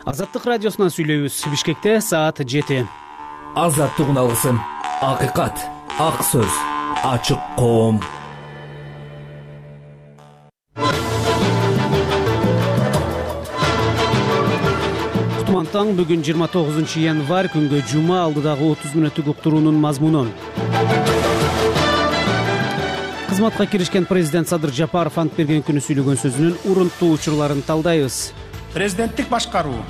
Азаттык радиосунан сүйлөйбүз. Бишкекте саат 7. Азаттык үналысын. Акыйкат, ак сөз, ачык коом. Кутмантаң бүгүн 29 январь күнгө жума, алдыдагы 30 мүнөттүк уктуруунун мазмуну. Кызматка киришкен президент Садыр Жапаров ант берген күнү сүйлөгөн сөзүнүн урунтуу учурларын талдайбыз. Президенттик башкаруу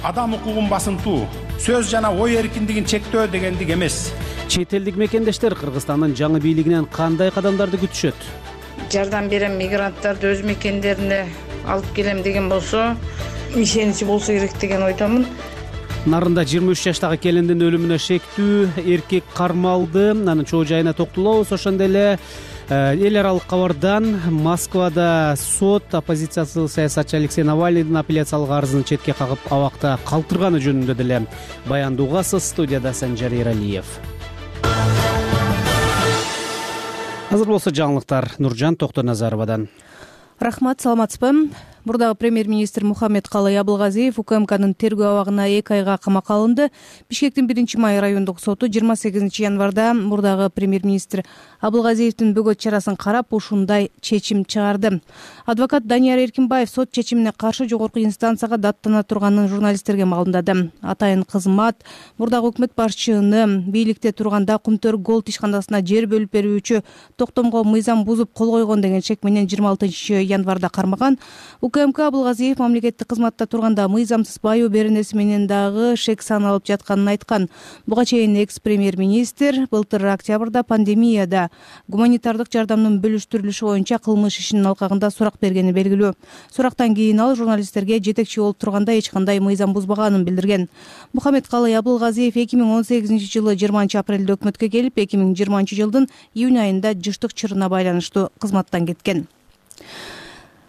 адам укугун басынтуу, сөз жана ой эркиндигин чектөө дегендик эмес. Чет элдик мекендештер Кыргызстандын жаңы бийлигинен кандай кадамдарды күтүшөт? Жардам берем, мигранттарды өз мекендерине алып келем деген болсо, ишеничи болсо керек деген ойдомун. Нарында 23 жаштагы келиндин өлүмүнө шектүү эркек кармалды. Анын чоо жайына токтолобуз. Ошондой эле эл аралык кабардан Москвада сот оппозициялык саясатчы Алексей Навальныйдын апелляциялык арызын четке кагып абакта калтырганы жөнүндө деле баянды угасыз. Студияда Санжар Эралиев. Азыр болсо жаңылыктар Нуржан Токтоназаровадан. Рахмат, саламатсызбы? Бурдагы премьер-министр Мухаммедкалый Абылгазиев УКМКнын тергөө абагына 2 айга камакка алынды. Бишкектин 1-май райондук соту 28 январда бурдагы премьер-министр Абылгазиевдин бөгөт чарасын карап ушундай чечим чыгарды. Адвокат Данияр Эркинбаев сот чечимине каршы жогорку инстанцияга даттана турганын журналисттерге маалымдады. Атайын кызмат бурдагы өкмөт башчыны бийликте турганда Кумтөр Голд ишканасына жер бөлүп берүүчү токтомго мыйзам бузуп кол койгон деген шек менен 26 январда кармаган. УКМК Абылгазиев мамлекеттик кызматта турганда мыйзамсыз байоо беренеси менен дагы шек саналып жатканын айткан. Буга чейин экс-премьер-министр былтыр октябрда пандемияда гуманитардык жардамдын бөлүштүрүлүшү боюнча кылмыш ишинин алкагында сурак бергени белгилүү. Сурактан кийин ал журналисттерге жетекчи болуп турганда эч кандай мыйзам бузбаганын билдирген. Мухаммедкалый Абылгазиев 2018 жылы 20 апрелде өкмөткө келип, 2020 жылдын июнь айында жыштык чырына байланыштуу кызматтан кеткен.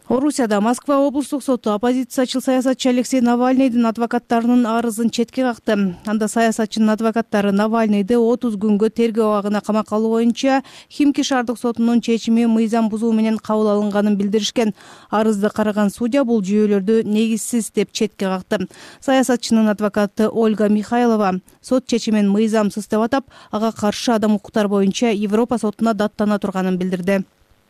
Орусияда Москва облустук соту оппозициячыл саясатчы Алексей Навальныйдын адвокаттарынын арызын четке какты. Анда саясатчынын адвокаттары Навальныйды 30 күнгө тергөө абагына камакка алуу боюнча Химки шаардык сотунун чечими мыйзам бузуу менен кабыл алынганын билдиришкен. Арызды караган судья бул жүйөлөрдү негизсиз деп четке какты. Саясатчынын адвокаты Ольга Михайлова сот чечимин мыйзамсыз деп атап, ага каршы адам укуктар боюнча Европа сотуна даттана турганын билдирди.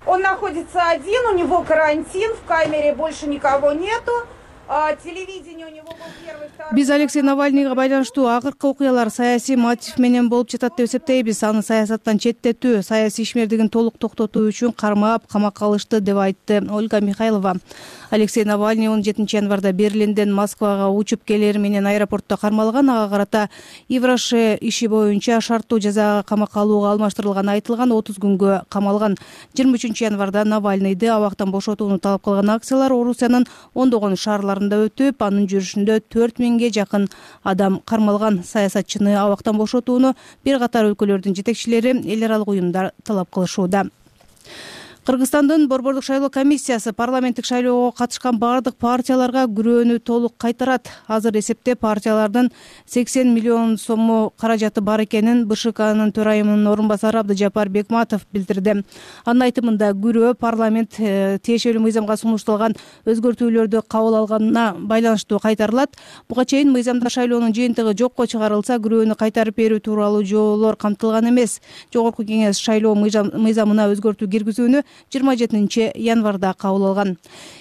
Он находится один, у него карантин, в камере больше никого нету. Телевидение у него был первый, второй. Биз Алексей Навальныйга байланыштуу акыркы окуялар саясий мотив менен болуп жатат деп эсептейбиз. Аны саясаттан четтетүү, саясий ишмердигин толук токтотуу үчүн кармап, камакка алышты деп айтты Ольга Михайлова. Алексей Навальный 17 январда Берлинден Москвага учуп келери менен аэропортто кармалган. Ага карата Ивраше иши боюнча шарттуу жазага камакка алууга алмаштырылганы айтылган. 30 күнгө камалган. 23 январда Навальныйды абактан бошотууну талап кылган акциялар Орусиянын ондогон шаарларында өтүп, анын жүрүшүндө 4000ге жакын адам кармалган. Саясатчыны абактан бошотууну бир катар өлкөлөрдүн жетекчилери, эл аралык уюмдар талап кылышууда. Кыргызстандын борбордук шайлоо комиссиясы парламенттик шайлоого катышкан бардык партияларга күрөөнү толук кайтарат. Азыр эсепте партиялардын 80 миллион сому каражаты бар экенин БШКнын төрайымынын орун басары Абдыжапар Бекматов билдирди. Анын айтымында күрөө парламент тиешелүү мыйзамга сунушталган өзгөртүүлөрдү кабыл алганына байланыштуу кайтарылат. Буга чейин мыйзамда шайлоонун жыйынтыгы жокко чыгарылса, күрөөнү кайтарып берүү тууралуу жоолор камтылган эмес. Жогорку кеңеш шайлоо мыйзамына өзгөртүү киргизүүнү 27 январда кабыл алган.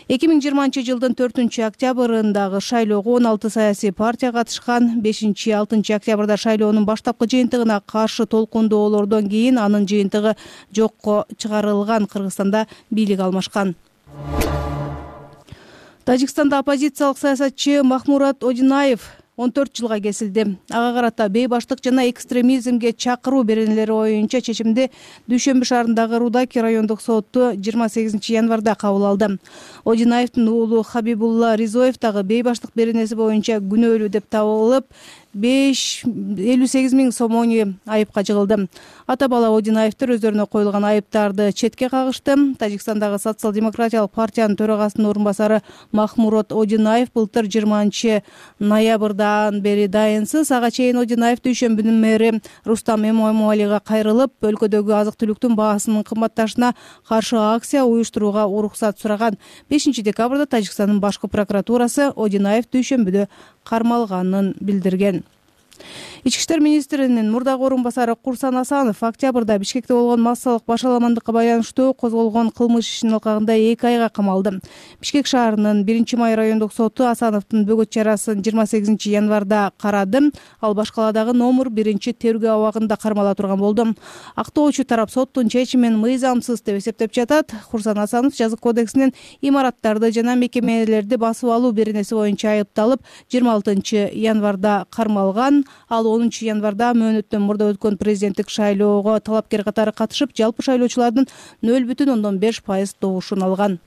2020 жылдын 4 октябрындагы шайлоого 16 саясий партия катышкан. 5-6 октябрда шайлоонун баштапкы жыйынтыгына каршы толкундоолордон кийин анын жыйынтыгы жокко чыгарылган. Кыргызстанда бийлик алмашкан. Тажикстанда оппозициялык саясатчы Махмурат Одинаев 14 жылга кесилди. Ага карата бейбаштык жана экстремизмге чакыруу беренелери боюнча чечимди Дүйшөмбү шаарындагы Рудаки райондук соту 28 январда кабыл алды. Одинаевдин уулу Хабибулла Ризоев дагы бейбаштык беренеси боюнча күнөөлүү деп табылып, 58 миң сомони айыпка жыгылды. Ата бала Одинаевдер өздөрүнө коюлган айыптарды четке кагышты. Тажикстандагы социал-демократиялык партиянын төрагасынын орун басары Махмурат Одинаев былтыр 20 ноябрда жылдан бери дайынсыз. Ага чейин Одинаев дүйшөмбүнүн мэри Рустам Эмомалига кайрылып, өлкөдөгү азык-түлүктүн баасынын кымбатташына каршы акция уюштурууга уруксат сураган. 5 декабрда Тажикстандын башкы прокуратурасы Одинаев дүйшөмбүдө кармалганын билдирген. Ички иштер министринин мурдагы орун басары Курсан Асанов октябрда Бишкекте болгон массалык башаламандыкка байланыштуу козголгон кылмыш ишинин алкагында 2 айга камалды. Бишкек шаарынын 1-май райондук соту Асановдун бөгөт чарасын 28 январда карады. Ал Башкаладагы номер 1-тергөө абагында кармала турган болду. Актоочу тарап соттун чечимин мыйзамсыз деп эсептеп жатат. Курсан Асанов жазык кодексинин имараттарды жана мекемелерди басып алуу беренеси боюнча айыпталып 26 январда кармалган. Ал 10 январда мөөнөттөн мурда өткөн президенттик шайлоого талапкер катары катышып, жалпы шайлоочулардын 0,5% добушун алган.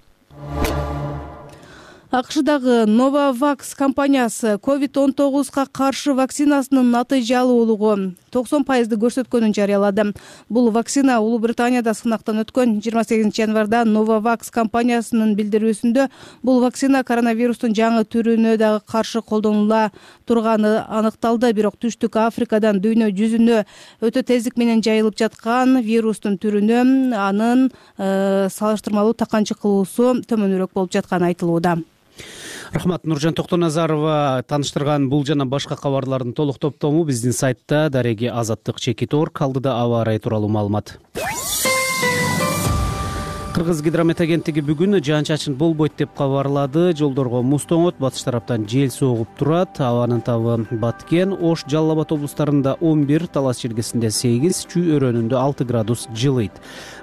АКШдагы Novavax компаниясы COVID-19 каршы вакцинасынын натыйжалуулугу 90% көрсөткөнүн жарыялады. Бул вакцина Улуу Британияда сынактан өткөн. 28 январда Novavax компаниясынын билдирүүсүндө бул вакцина коронавирустун жаңы түрүнө дагы каршы колдонула турганы аныкталды. Бирок Түштүк Африкадан дүйнө жүзүнө өтө тездик менен жайылып жаткан вирустун түрүнө анын салыштырмалуу таканчы кылуусу төмөнүрөөк болуп жатканы айтылууда. Рахмат. Нуржан Токтоназарова тааныштырган бул жана башка кабарлардын толук топтому биздин сайтта дареги azattik.org алдыда аба ырайы тууралуу маалымат. Кыргыз гидромет агенттиги бүгүн жаан-чачын болбойт деп кабарлады. Жолдорго муз тоңот, батыш тараптан жел согуп турат. Абанын табы Баткен, Ош, Жалал Абад облустарында 11, Талас Чиркесинде 8, Чүй өрөөнүндө 6 градус жылыйт.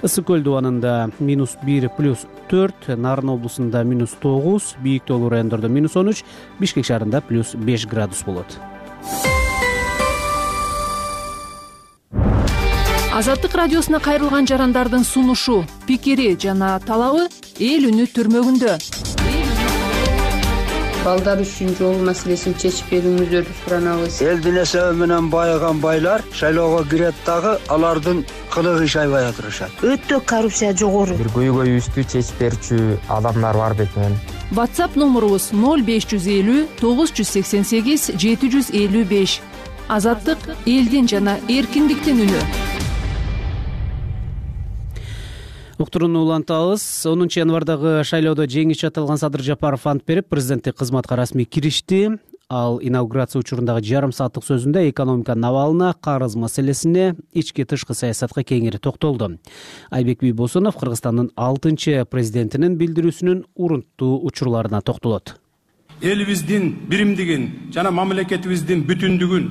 Ысык көл дубанында -1 +4, Нарын облусунда -9, бийик тоолуу райондордо -13, Бишкек шаарында +5 градус болот. Азаттык радиосуна кайрылган жарандардын сунушу, пикири жана талабы эл үнү түрмөгүндө. Балдар үчүн жол маселесин чечип берүүңүздөрдү суранабыз. Элдин эсеби менен байыган байлар шайлоого кирет дагы алардын кылыгы иш айбай отурушат. Өтө коррупция жогору. Бир көйгөйүбүздү чечип берчү адамдар бар бекен. WhatsApp номурубуз 0550 988 755. Азаттык элдин жана эркиндиктин үнү. Уктурууну улантабыз. 10 январдагы шайлоодо жеңишчи аталган Садыр Жапаров ант берип, президенттик кызматка расмий киришти. Ал инаугурация учурундагы жарым сааттык сөзүндө экономиканын абалына, карыз маселесине, ички тышкы саясатка кеңири токтолду. Айбек Бийбосунов Кыргызстандын 6 президентинин билдирүүсүнүн урунттуу учурларына токтолот. Элибиздин биримдигин жана мамлекетибиздин бүтүндүгүн,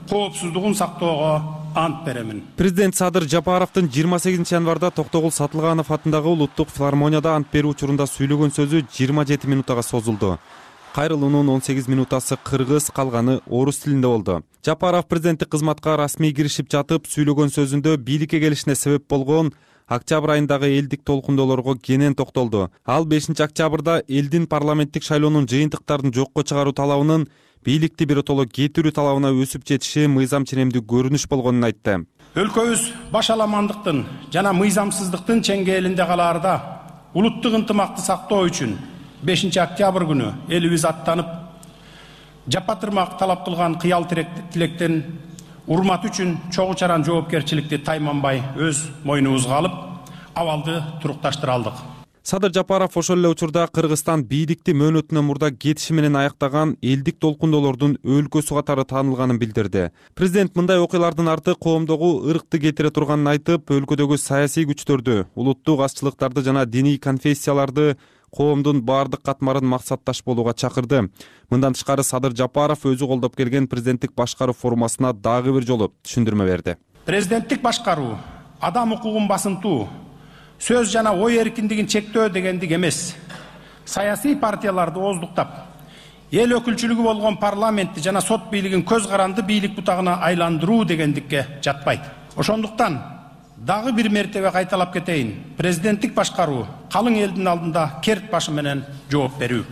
коопсуздугун сактоого ант беремин. Президент Садыр Жапаровдун 28 январда Токтогул Сатылганов атындагы улуттук филармонияда ант берүү учурунда сүйлөгөн сөзү 27 минутага созулду. Кайрылуунун 18 минутасы кыргыз, калганы орус тилинде болду. Жапаров президенттик кызматка расмий киришип жатып сүйлөгөн сөзүндө бийликке келишине себеп болгон октябрь айындагы элдик толкундоолорго кенен токтолду. Ал 5 октябрда элдин парламенттик шайлоонун жыйынтыктарын жокко чыгаруу талабынын бийликти биротоло кетирүү талабына өсүп жетиши мыйзам ченемдүү көрүнүш болгонун айтты. Өлкөбүз башаламандыктын жана мыйзамсыздыктын чеңгээлинде калаарда улуттук ынтымакты сактоо үчүн 5 октябрь күнү элибиз аттанып, жапатырмак талап кылган кыял тилектен урмат үчүн чогуу чаран жоопкерчиликти тайманбай өз мойнубузга алып, абалды турукташтыра алдык. Садыр Жапаров ошол эле учурда Кыргызстан бийликти мөөнөтүнөн мурда кетиши менен аяктаган элдик толкундоолордун өлкөсү катары таанылганын билдирди. Президент мындай окуялардын арты коомдогу ыркты кетире турганын айтып, өлкөдөгү саясий күчтөрдү, улуттук азчылыктарды жана диний конфессияларды коомдун баардык катмарын максатташ болууга чакырды. Мындан тышкары Садыр Жапаров өзү колдоп келген президенттик башкаруу формасына дагы бир жолу түшүндүрмө берди. Президенттик башкаруу адам укугун басынтуу, сөз жана ой эркиндигин чектөө дегендик эмес. Саясий партияларды ооздуктап, эл өкүлчүлүгү болгон парламентти жана сот бийлигин көз каранды бийлик бутагына айландыруу дегендикке жатпайт. Ошондуктан дагы бир мертебе кайталап кетейин. Президенттик башкаруу калың элдин алдында керт башы менен жооп берүү.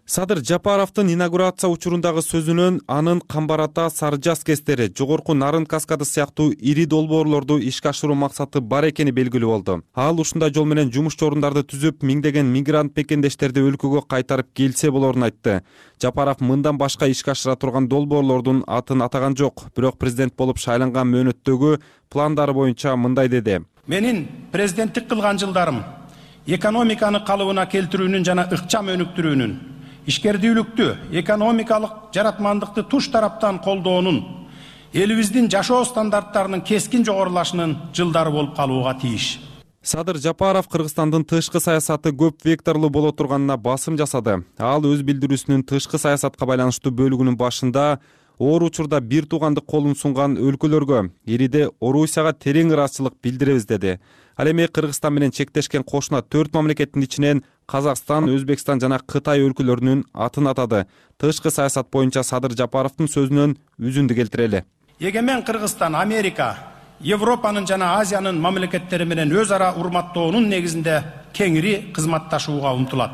Садыр Жапаровдун инаугурация учурундагы сөзүнөн анын Камбар Ата, Сары Жаз кесттери, Жогорку Нарын каскады сыяктуу ири долбоорлорду ишке ашыруу максаты бар экени белгилүү болду. Ал ушундай жол менен жумуш орундарды түзүп, миңдеген мигрант мекендештерди өлкөгө кайтарып келсе болорун айтты. Жапаров мындан башка ишке ашыра турган долбоорлордун атын атаган жок, бирок президент болуп шайланган мөөнөттөгү пландары боюнча мындай деди. Менин президенттик кылган жылдарым экономиканы калыбына келтирүүнүн жана ыкчам өнүктүрүүнүн, ишкердүүлүктү, экономикалык жаратмандыкты туш тараптан колдоонун, элибиздин жашоо стандарттарынын кескин жогорулашынын жылдары болуп калууга тийиш. Садыр Жапаров Кыргызстандын тышкы саясаты көп векторлуу боло турганына басым жасады. Ал өз билдирүүсүнүн тышкы саясатка байланыштуу бөлүгүнүн башында оор учурда бир туугандык колун сунган өлкөлөргө, ириде Орусияга терең ыраазычылык билдиребиз деди. Ал эми Кыргызстан менен чектешкен кошуна 4 мамлекеттин ичинен Казакстан, Өзбекстан жана Кытай өлкөлөрүнүн атын атады. Тышкы саясат боюнча Садыр Жапаровдун сөзүнөн үзүндү келтирели. Эгемен Кыргызстан Америка, Европанын жана Азиянын мамлекеттери менен өз ара урматтоонун негизинде кеңири кызматташууга умтулат.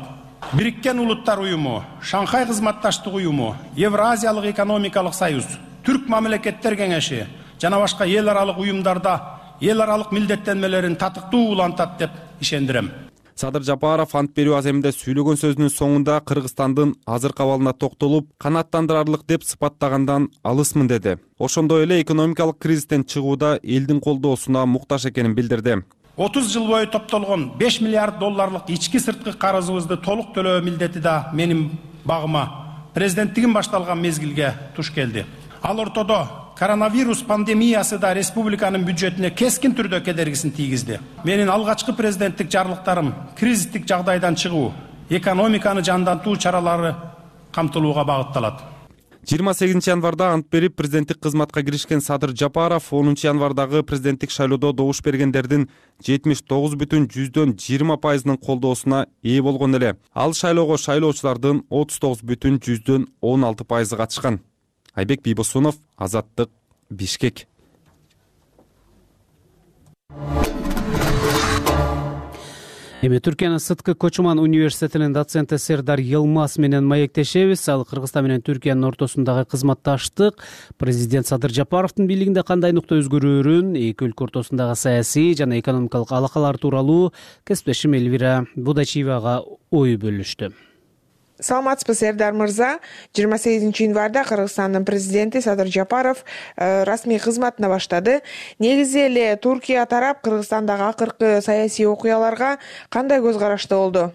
Бириккен Улуттар уюму, Шанхай кызматташтык уюму, Евразиялык экономикалык союз, Түрк мамлекеттер кеңеши жана башка эл аралык уюмдарда эл аралык милдеттенмелерин татыктуу улантат деп ишендирем. Садыр Жапаров ант берүү аземинде сүйлөгөн сөзүнүн соңунда Кыргызстандын азыркы абалына токтолуп, канааттандырарлык деп сыпаттагандан алысмын деди. Ошондой эле экономикалык кризистен чыгууда элдин колдоосуна муктаж экенин билдирди. 30 жыл бою топтолгон 5 миллиард долларлык ички сырткы карызыбызды толук төлөө милдети да менин багыма президенттигим башталган мезгилге туш келди. Ал ортодо коронавирус пандемиясы да республиканын бюджетине кескин түрдө кедергисин тийгизди. Менин алгачкы президенттик жарлыктарым кризистик жагдайдан чыгуу, экономиканы жандантуу чаралары камтылууга багытталат. 28 январда ант берип президенттик кызматка киришкен Садыр Жапаров 10 январдагы президенттик шайлоодо добуш бергендердин 79,20%-нын колдоосуна ээ болгон эле. Ал шайлоого шайлоочулардын 39,16% катышкан. Айбек Бийбосунов, Азаттык, Бишкек. Эми Түркиянын Сыткы Кочуман университетинин доценти Сердар Йылмаз менен маектешебиз. Ал Кыргызстан менен Түркиянын ортосундагы кызматташтык, президент Садыр Жапаровдун бийлигинде кандай нукта өзгөрүүрүн, эки өлкө ортосундагы саясий жана экономикалык алакалар тууралуу кесиптешим Элвира Будачиевага ой бөлүштү. Саламатсызбы, Сердар мырза. 28 январда Кыргызстандын президенти Садыр Жапаров расмий кызматына баштады. Негизи эле Туркия тарап Кыргызстандагы акыркы саясий окуяларга кандай көз карашта болду?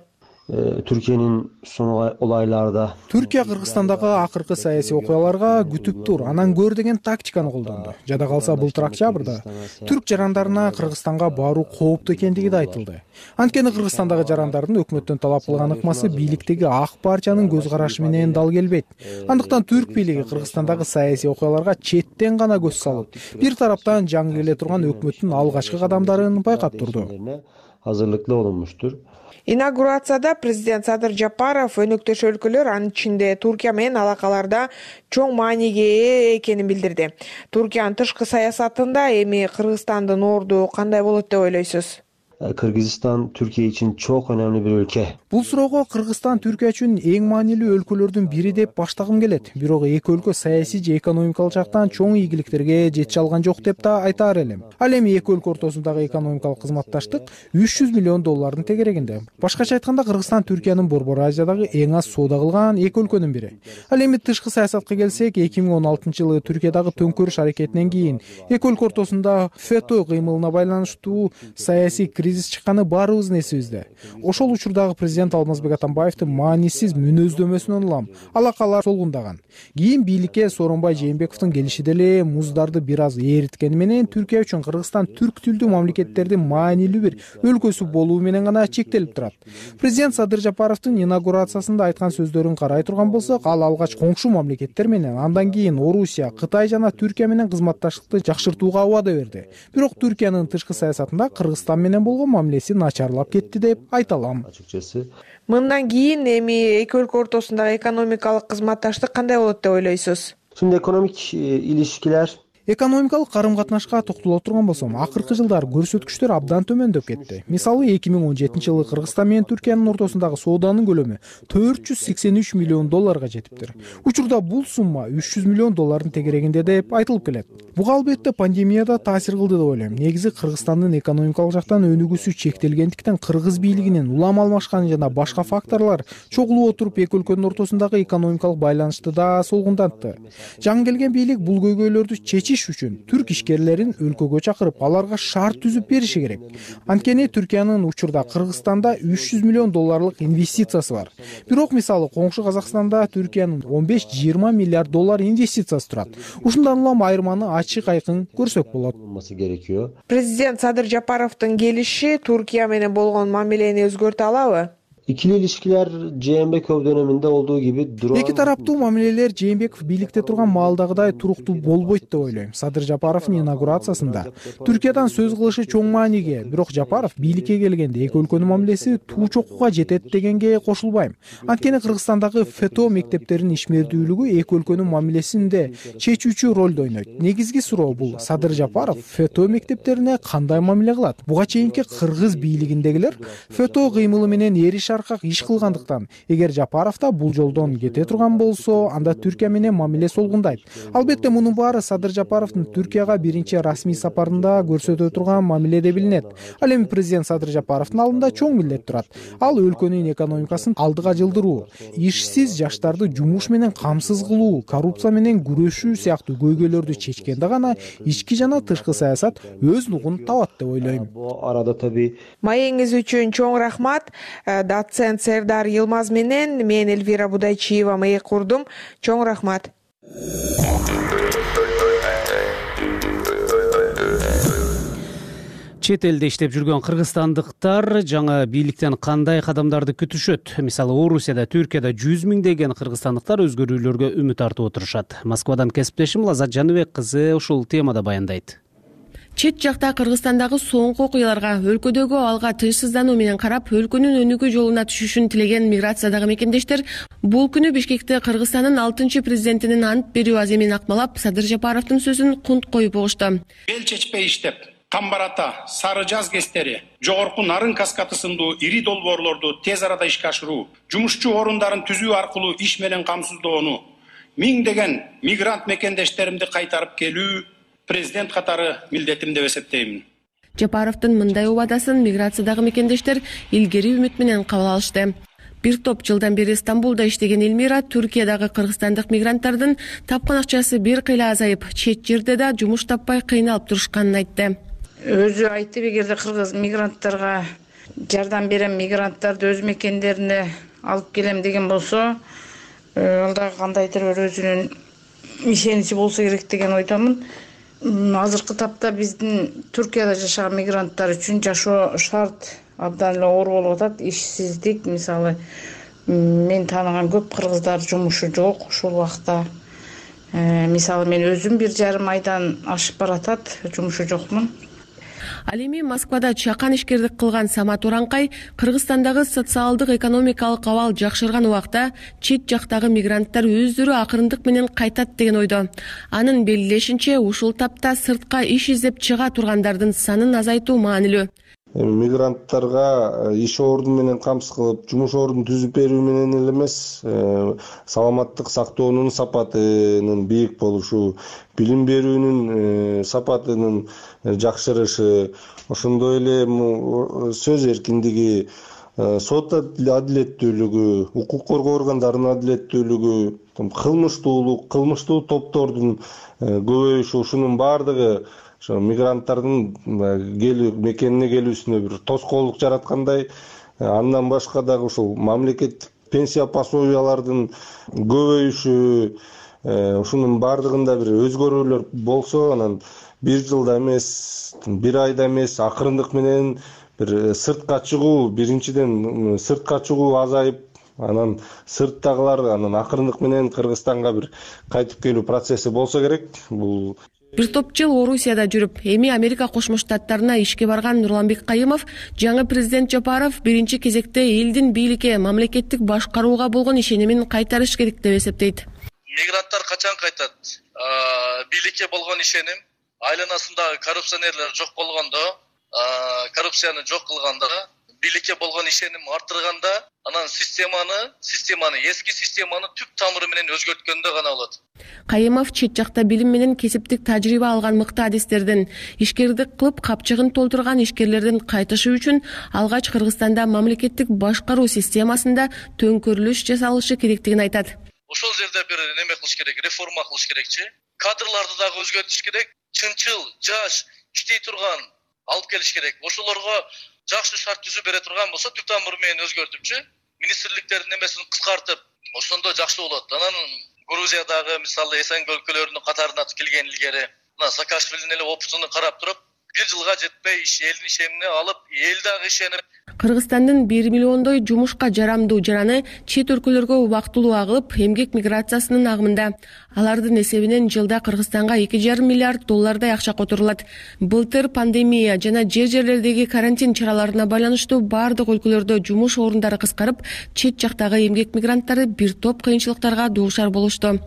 Түркиянын son olaylarda Түркия Кыргызстандагы акыркы саясий окуяларга күтүп тур, анан көр деген тактиканы колдонду. Жада калса былтыр октябрда түрк жарандарына Кыргызстанга баруу кооптуу экендиги да айтылды. Анткени Кыргызстандагы жарандардын өкмөттөн талап кылган ыкмасы бийликтеги ак парчанын көз карашы менен дал келбейт. Андыктан түрк бийлиги Кыргызстандагы саясий окуяларга четтен гана көз салып, бир тараптан жаңы келе турган өкмөттүн алгачкы кадамдарын байкап турду. Hazırlıklı olunmuştur. Инаугурацияда президент Садыр Жапаров өнөктөш өлкөлөр, анын ичинде Туркия менен алакаларда чоң мааниге ээ экенин билдирди. Туркиянын тышкы саясатында эми Кыргызстандын орду кандай болот деп ойлойсуз? Kırgızistan Türkiye için çok önemli bir ülke. Бул суроого Кыргызстан Түркия үчүн эң маанилүү өлкөлөрдүн бири деп баштагым келет. Бирок эки өлкө саясий же экономикалык жактан чоң ийгиликтерге жете алган жок деп да айтаар элем. Ал эми эки өлкө ортосундагы экономикалык кызматташтык $300 миллион тегерегинде. Башкача айтканда Кыргызстан Түркиянын Борбор Азиядагы эң аз соода кылган эки өлкөнүн бири. Ал эми тышкы саясатка келсек, 2016-жылы Түркиядагы төңкөрүш аракетинен кийин эки өлкө ортосунда ФЭТÖ кыймылына байланыштуу саясий кризис чыкканы баарыбыздын эсибизде. Ошол учурдагы президент Алмазбек Атамбаевдин маанисиз мүнөздөмөсүнөн улам алакалар солгундаган. Кийин бийликке Сооронбай Жээнбековдун келиши деле муздарды бир аз эриткени менен Түркия үчүн Кыргызстан түрк тилдүү мамлекеттердин маанилүү бир өлкөсү болуу менен гана чектелип турат. Президент Садыр Жапаровдун инаугурациясында айткан сөздөрүн карай турган болсок, ал алгач коңшу мамлекеттер менен, андан кийин Орусия, Кытай жана Түркия менен кызматташтыкты жакшыртууга убада берди. Бирок Түркиянын тышкы саясатында Кыргызстан менен болгон мамилеси начарлап кетти деп айта алам. Мындан кийин эми эки өлкө ортосундагы экономикалык кызматташтык кандай болот деп ойлойсуз? Şimdi ekonomik ilişkiler Экономикалык карым-катнашка токтоло турган болсом, акыркы жылдары көрсөткүчтөр абдан төмөндөп кетти. Мисалы 2017-жылы Кыргызстан менен Түркиянын ортосундагы сооданын көлөмү $483 миллион жетиптир. Учурда бул сумма $300 миллион тегерегинде деп айтылып келет. Буга албетте пандемияда таасир кылды деп ойлойм. Негизи Кыргызстандын экономикалык жактан өнүгүүсү чектелгендиктен кыргыз бийлигинин улам алмашканы жана башка факторлор чогулуп отуруп эки өлкөнүн ортосундагы экономикалык байланышты да солгундантты. Жаңы келген бийлик бул көйгөйлөрдү чечиш үчүн түрк ишкерлерин өлкөгө чакырып, аларга шарт түзүп бериши керек. Анткени Түркиянын учурда Кыргызстанда $300 миллион инвестициясы бар. Бирок мисалы коңшу Казакстанда Түркиянын $15-20 миллиард инвестициясы турат. Ушундан улам айырманы ачык айкын көрсөк болот. Президент Садыр Жапаровдун келиши Туркия менен болгон мамилени өзгөртө алабы? İkili ilişkiler Jeenbekov döneminde olduğu gibi durağan... Эки тараптуу мамилелер Жээнбеков бийликте турган маалдагыдай туруктуу болбойт деп ойлойм. Садыр Жапаровдун инаугурациясында Түркиядан сөз кылышы чоң мааниге, бирок Жапаров бийликке келгенде эки өлкөнүн мамилеси туу чокуга жетет дегенге кошулбайм. Анткени Кыргызстандагы ФЭТО мектептеринин ишмердүүлүгү эки өлкөнүн мамилесинде чечүүчү ролду ойнойт. Негизги суроо бул: Садыр Жапаров ФЭТО мектептерине кандай мамиле кылат? Буга чейинки кыргыз бийлигиндегилер ФЭТО кыймылы менен эриш аркак иш кылгандыктан, эгер Жапаров да бул жолдон кете турган болсо, анда Түркия менен мамиле солгундайт. Албетте мунун баары Садыр Жапаровдун Түркияга биринчи расмий сапарында көрсөтө турган мамиле деп билинет. Ал эми президент Садыр Жапаровдун алдында чоң милдет турат. Ал өлкөнүн экономикасын алдыга жылдыруу, ишсиз жаштарды жумуш менен камсыз кылуу, коррупция менен күрөшүү сыяктуу көйгөйлөрдү чечкенде гана ички жана тышкы саясат өз нугун табат деп ойлойм. Маегиңиз үчүн чоң рахмат. Доцент Сердар Йылмаз менен мен Эльвира Будайчиева маек курдум. Чоң рахмат. Чет элде иштеп жүргөн кыргызстандыктар жаңы бийликтен кандай кадамдарды күтүшөт? Мисалы, Орусияда, Түркияда 100 миңдеген кыргызстандыктар өзгөрүүлөргө үмүт артып отурушат. Москвадан кесиптешим Лазат Жаныбек кызы ушул темада баяндайт. Чет жакта Кыргызстандагы соңку окуяларга, өлкөдөгү алга тынчсыздануу менен карап, өлкөнүн өнүгүү жолуна түшүшүн тилеген миграциядагы мекендештер бул күнү Бишкекте Кыргызстандын 6-чы президентинин ант берүү аземин акмалап, Садыр Жапаровдун сөзүн кунт коюп угушту. Бел чечпей иштеп, Тамбарата, Сары Жаз кестери, жогорку Нарын каскаты сындуу ири долбоорлорду тез арада ишке ашыруу, жумушчу орундарын түзүү аркылуу иш менен камсыздоону, миңдеген мигрант мекендештеримди кайтарып келүү президент катары милдетим деп эсептеймин. Жапаровдун мындай убадасын миграциядагы мекендештер илгери үмүт менен кабыл алышты. Бир топ жылдан бери Стамбулда иштеген Элмира Түркиядагы кыргызстандык мигранттардын тапкан акчасы бир кыйла азайып, чет жерде да жумуш таппай кыйналып турушканын айтты. Өзү айтып, эгерде кыргыз мигранттарга жардам берем, мигранттарды өз мекендерине алып келем деген болсо, ал да кандайдыр бир өзүнүн ишеничи болсо керек деген ойдомун. Азыркы тапта биздин Түркияда жашаган мигранттар үчүн жашоо шарт абдан эле оор болуп атат. Ишсиздик, мисалы, мен тааныган көп кыргыздар жумушу жок ушул убакта. Мисалы, мен өзүм 1,5 айдан ашып баратат, жумушу жокмун. Ал эми Москвада чакан ишкердик кылган Самат Уранкай Кыргызстандагы социалдык экономикалык абал жакшырган убакта чет жактагы мигранттар өздөрү акырындык менен кайтат деген ойдо. Анын белгилешинче, ушул тапта сыртка иш издеп чыга тургандардын санын азайтуу маанилүү. Мигранттарга иш ордун менен камсыз кылып, жумуш ордун түзүп берүү менен эле эмес, саламаттык сактоонун сапатынын бийик болушу, билим берүүнүн сапатынын жакшырышы, ошондой эле сөз эркиндиги, сот адилеттүүлүгү, укук коргоо органдарынын адилеттүүлүгү, кылмыштуу топтордун көбөйүшү, ушунун баардыгы мигранттардын мекенине келүүсүнө бир тоскоолдук жараткандай. Андан башка дагы ушул мамлекеттик пенсия пособиялардын көбөйүшү, ушунун баардыгында бир өзгөрүүлөр болсо, анан бир жылда эмес, бир айда эмес, акырындык менен бир сыртка чыгуу, биринчиден сыртка чыгуу азайып, анан сырттагылар анан акырындык менен Кыргызстанга бир кайтып келүү процесси болсо керек. Бул Бир топ жыл Орусияда жүрүп, эми Америка Кошмо Штаттарына ишке барган Нурланбек Кайымов жаңы президент Жапаров биринчи кезекте элдин бийликке, мамлекеттик башкарууга болгон ишенимин кайтарыш керек деп эсептейт. мигранттар качан кайтат? Бийликке болгон ишеним, айланасындагы коррупционерлер жок болгондо, коррупцияны жок кылганда, бийликке болгон ишеним артырганда, анан системаны эски системаны түп тамыры менен өзгөрткөндө гана болот. Кайымов чет жакта билим менен кесиптик тажрыйба алган мыкты адистердин, ишкердик кылып капчыгын толтурган ишкерлердин кайтышы үчүн алгач Кыргызстанда мамлекеттик башкаруу системасында төңкөрүлүш жасалышы керектигин айтат. Ошол жерде бир неме кылыш керек, реформа кылыш керекчи. Кадрларды дагы өзгөртүш керек. Чынчыл, жаш, иштей турган алып келиш керек. Ошолорго жакшы шарт түзүп бере турган болсо, түп тамыры менен өзгөртүпчү, министрликтердин немесин кыскартып, ошондо жакшы болот. Анан Грузиядагы мисалы СНГ өлкөлөрүнүн катарына келген илгери, мына Саакашвилинин эле опытын карап туруп, бир жылга жетпей элдин ишенимине алып, эл дагы ишенип. Кыргызстандын 1 миллиондой жумушка жарамдуу жараны чет өлкөлөргө убактылуу агылып, эмгек миграциясынын агымында. Алардын эсебинен жылда Кыргызстанга 2,5 миллиард доллардай акча которулат. Былтыр пандемия жана жерлердеги карантин чараларына байланыштуу бардык өлкөлөрдө жумуш орундары кыскарып, чет жактагы эмгек мигранттары бир топ кыйынчылыктарга дуушар болушту.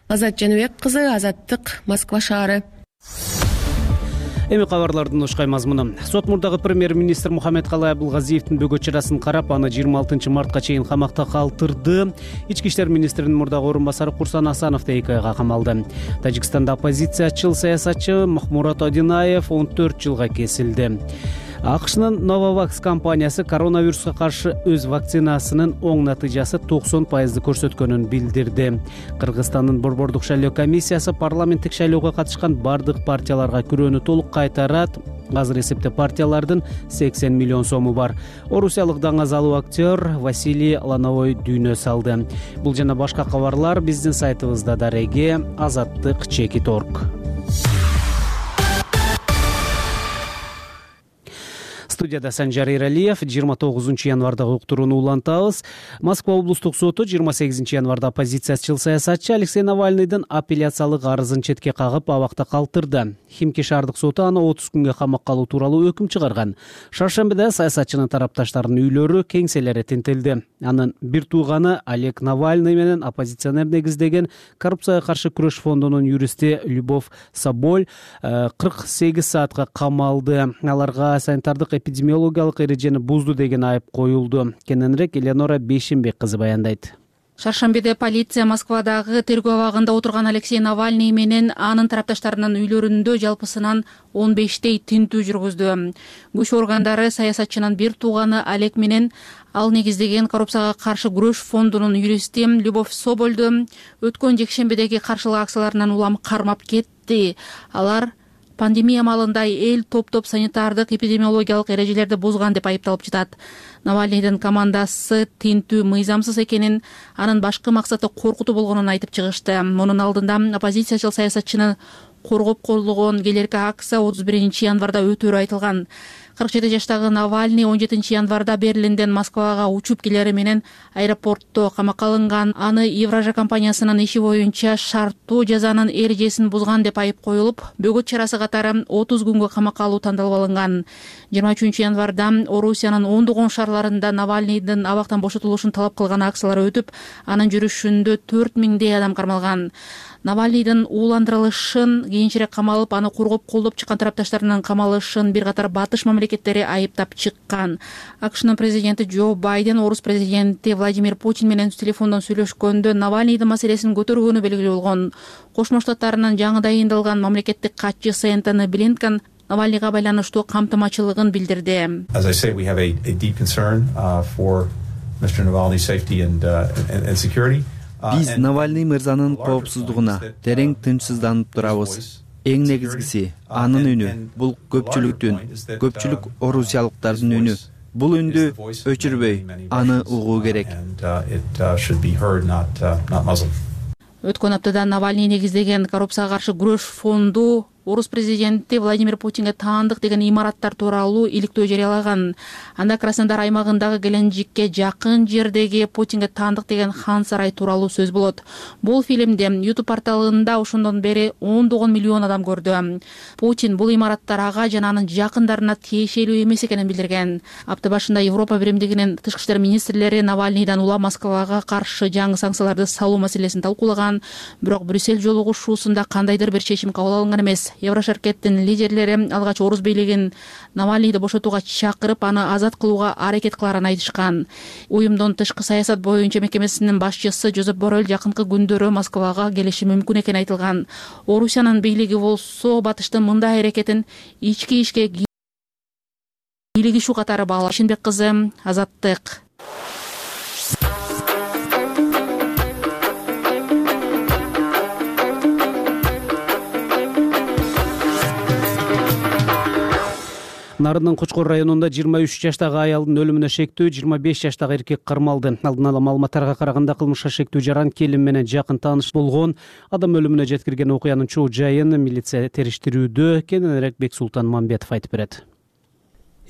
Азат Жаныбек кызы, Азаттык, Москва шаары. Эми кабарлардын ушкай мазмуну. Сот мурдагы премьер-министр Мухаммедкалый Абылгазиевдин бөгөт чарасын карап, аны 26 мартка чейин камакта калтырды. Ички иштер министринин мурдагы орун басары Курсан Асанов да 2 айга камалды. Тажикстанда оппозициячыл саясатчы Махмурат Одинаев 14 жылга кесилди. АКШнын Novavax компаниясы коронавируска каршы өз вакцинасынын оң натыйжасы 90% көрсөткөнүн билдирди. Кыргызстандын Борбордук шайлоо комиссиясы парламенттик шайлоого катышкан бардык партияларга күрөөнү толук кайтарат. Азыр эсепте партиялардын 80 миллион сому бар. Орусиялык даңазалуу актер Василий Лановой дүйнө салды. Бул жана башка кабарлар биздин сайтыбызда дареги azаттык.org. Студияда Санжар Иралиев. 29 январдагы уктурууну улантабыз. Москва облустук соту 28 январда оппозициячыл саясатчы Алексей Навальныйдын апелляциялык арызын четке кагып абакта калтырды. Химки шаардык соту аны 30 күнгө камакка алуу тууралуу өкүм чыгарган. Шаршембиде саясатчынын тарапташтарынын үйлөрү, кеңселери тинтелди. Анын бир тууганы Олег Навальный менен оппозиционер негиздеген коррупцияга каршы күрөш фондунун юристи Любовь Соболь 48 саатка камалды. Аларга санитардык эпидемиологиялык эрежени бузду деген айып коюлду. Кененирээк Эленора Бейшенбек кызы баяндайт. Шаршембиде полиция Москвадагы тергөө абагында отурган Алексей Навальный менен анын тарапташтарынын үйлөрүндө жалпысынан 15 тинтүү жүргүздү. Күч органдары саясатчынын бир тууганы Олег менен ал негиздеген коррупцияга каршы күрөш фондунун юристи Любовь Собольду өткөн жекшембидеги каршылык акцияларынан улам кармап кетти. Алар пандемия маалында эл топ-топ санитардык эпидемиологиялык эрежелерди бузган деп айыпталып жатат. Навальныйдын командасы тинтүү мыйзамсыз экенин, анын башкы максаты коркутуу болгонун айтып чыгышты. Мунун алдында оппозициячыл саясатчыны коргоп колдогон келерки акция 31 январда өтөрү айтылган. 47 жаштагы Навальный 17 январда Берлинден Москвага учуп келери менен аэропортто камакка алынган. Аны Евража компаниясынын иши боюнча шарттуу жазанын эрежесин бузган деп айып коюлуп, бөгөт чарасы катары 30 күнгө камакка алуу тандалып алынган. 23 январда Орусиянын ондогон шаарларында Навальныйдын абактан бошотулушун талап кылган акциялар өтүп, анын жүрүшүндө 4000 адам кармалган. Навальныйдын ууландырылышын, кийинчерээк камалып, аны коргоп колдоп чыккан тарапташтарынын камалышын бир катар батыш мамлекеттери айыптап чыккан. АКШнын президенти Джо Байден орус президенти Владимир Путин менен телефондон сүйлөшкөндө Навальныйдын маселесин көтөргөнү белгилүү болгон. Кошмо Штаттарынын жаңы дайындалган мамлекеттик катчысы Энтони Блинкен Навальныйга байланыштуу камтымачылыгын билдирди. Биз Навальный мырзанын коопсуздугуна терең тынчсызданып турабыз. Эң негизгиси анын үнү. Бул көпчүлүк орусиялыктардын үнү. Бул үндү өчүрбөй, аны угуу керек. Өткөн аптада Навальный негиздеген коррупцияга каршы күрөш фонду орус президенти Владимир Путинге таандык деген имараттар тууралуу иликтөө жарыялаган. Анда Краснодар аймагындагы Геленджикке жакын жердеги Путинге таандык деген хан сарай тууралуу сөз болот. Бул фильмди YouTube порталында ошондон бери 10 миллион адам көрдү. Путин бул имараттар ага жана анын жакындарына тиешелүү эмес экенин билдирген. Апта башында Европа биримдигинин тышкы иштер министрлери Навальныйдан улам Москвага каршы жаңы санкцияларды салуу маселесин талкуулаган, бирок Брюссель жолугушуусунда кандайдыр бир чечим кабыл алынган эмес. Еврошеркеттин лидерлери алгач орус бийлигин Навальныйды бошотууга чакырып, аны азат кылууга аракет кыларын айтышкан. Уюмдун тышкы саясат боюнча мекемесинин башчысы Жозеп Боррель жакынкы күндөрү Москвага келиши мүмкүн экени айтылган. Орусиянын бийлиги болсо батыштын мындай аракетин ички ишке кийлигишүү катары баалап. Ишенбек кызы, Азаттык. Нарындын Кочкор районунда 23 жаштагы аялдын өлүмүнө шектүү 25 жаштагы эркек кармалды. Алдын ала маалыматтарга караганда кылмышка шектүү жаран келин менен жакын тааныш болгон. Адам өлүмүнө жеткирген окуянын чоо жайын милиция териштирүүдө. Кененирээк Бексултан Мамбетов айтып берет.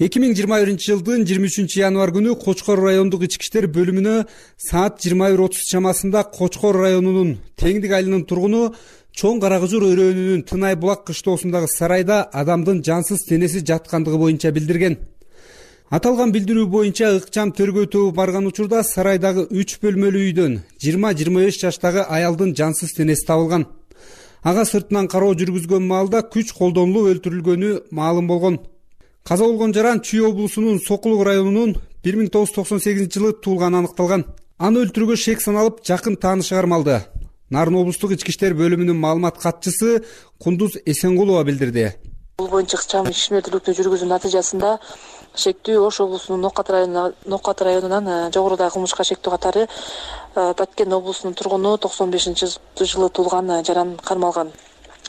2021 жылдын 23 январ күнү Кочкор райондук ички иштер бөлүмүнө саат 21:30 чамасында Кочкор районунун Теңдик айылынын тургуну Чоң Карагыжыр өрөөнүнүн Тынай булак кыштоосундагы сарайда адамдын жансыз денеси жаткандыгы боюнча билдирген. Аталган билдирүү боюнча ыкчам тергөө тобу барган учурда сарайдагы 3 бөлмөлүү үйдөн 20-25 жаштагы аялдын жансыз денеси табылган. Ага сыртынан кароо жүргүзгөн маалда күч колдонулуп өлтүрүлгөнү маалым болгон. Каза болгон жаран Чүй облусунун Сокулук районунун 1998 жылы туулганы аныкталган. Аны өлтүрүүгө шек саналып жакын таанышы кармалды. Нарын облустук ички иштер бөлүмүнүн маалымат катчысы Кундуз Эсенгулова билдирди. Бул боюнча ыкчам ишмердүүлүктү жүргүзүү натыйжасында шектүү Ош облусунун Нокат районунан жогорудагы кылмышка шектүү катары Баткен облусунун тургуну 95-жылы туулган жаран кармалган.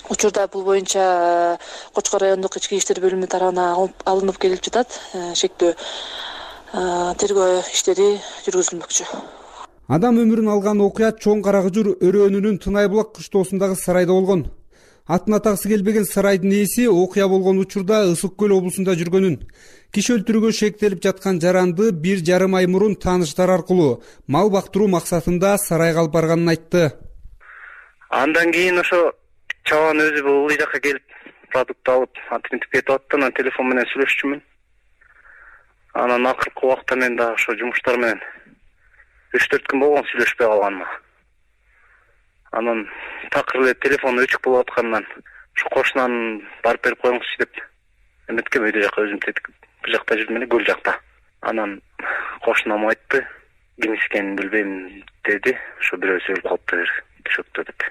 Учурда бул боюнча Кочкор райондук ички иштер бөлүмү тарабынан алынып келип жатат. Шектүү тергөө иштери жүргүзүлмөкчү. Адам өмүрүн алган окуя Чоң Карагыжыр өрөөнүнүн Тынай булак кыштоосундагы сарайда болгон. Атын атаксы келбеген сарайдын ээси окуя болгон учурда Ысык көл облусунда жүргөнүн, киши өлтүрүүгө шектелип жаткан жаранды 1,5 ай мурун тааныштар аркылуу мал бактыруу максатында сарайга алып барганын айтты. Андан кийин ошо чабан өзү бул жака келип продукт алып, антинтип кетип атты, анан телефон менен сүйлөшчүмүн. Анан акыркы убакта мен дагы ошо жумуштар менен 3-4 күн болгон сүйлөшпөй калганыма. Анан такыр эле телефон өчүк болуп аткандан ушу кошунан барып берип коюңузчу деп эметкем, өйдө жака өзүм бул жакта жүрдүм эле, көл жакта. Анан кошунам айтты, ким ишкенин билбейм деди. Ошо бирөө сөйлөп калыптыр төшөктө деп.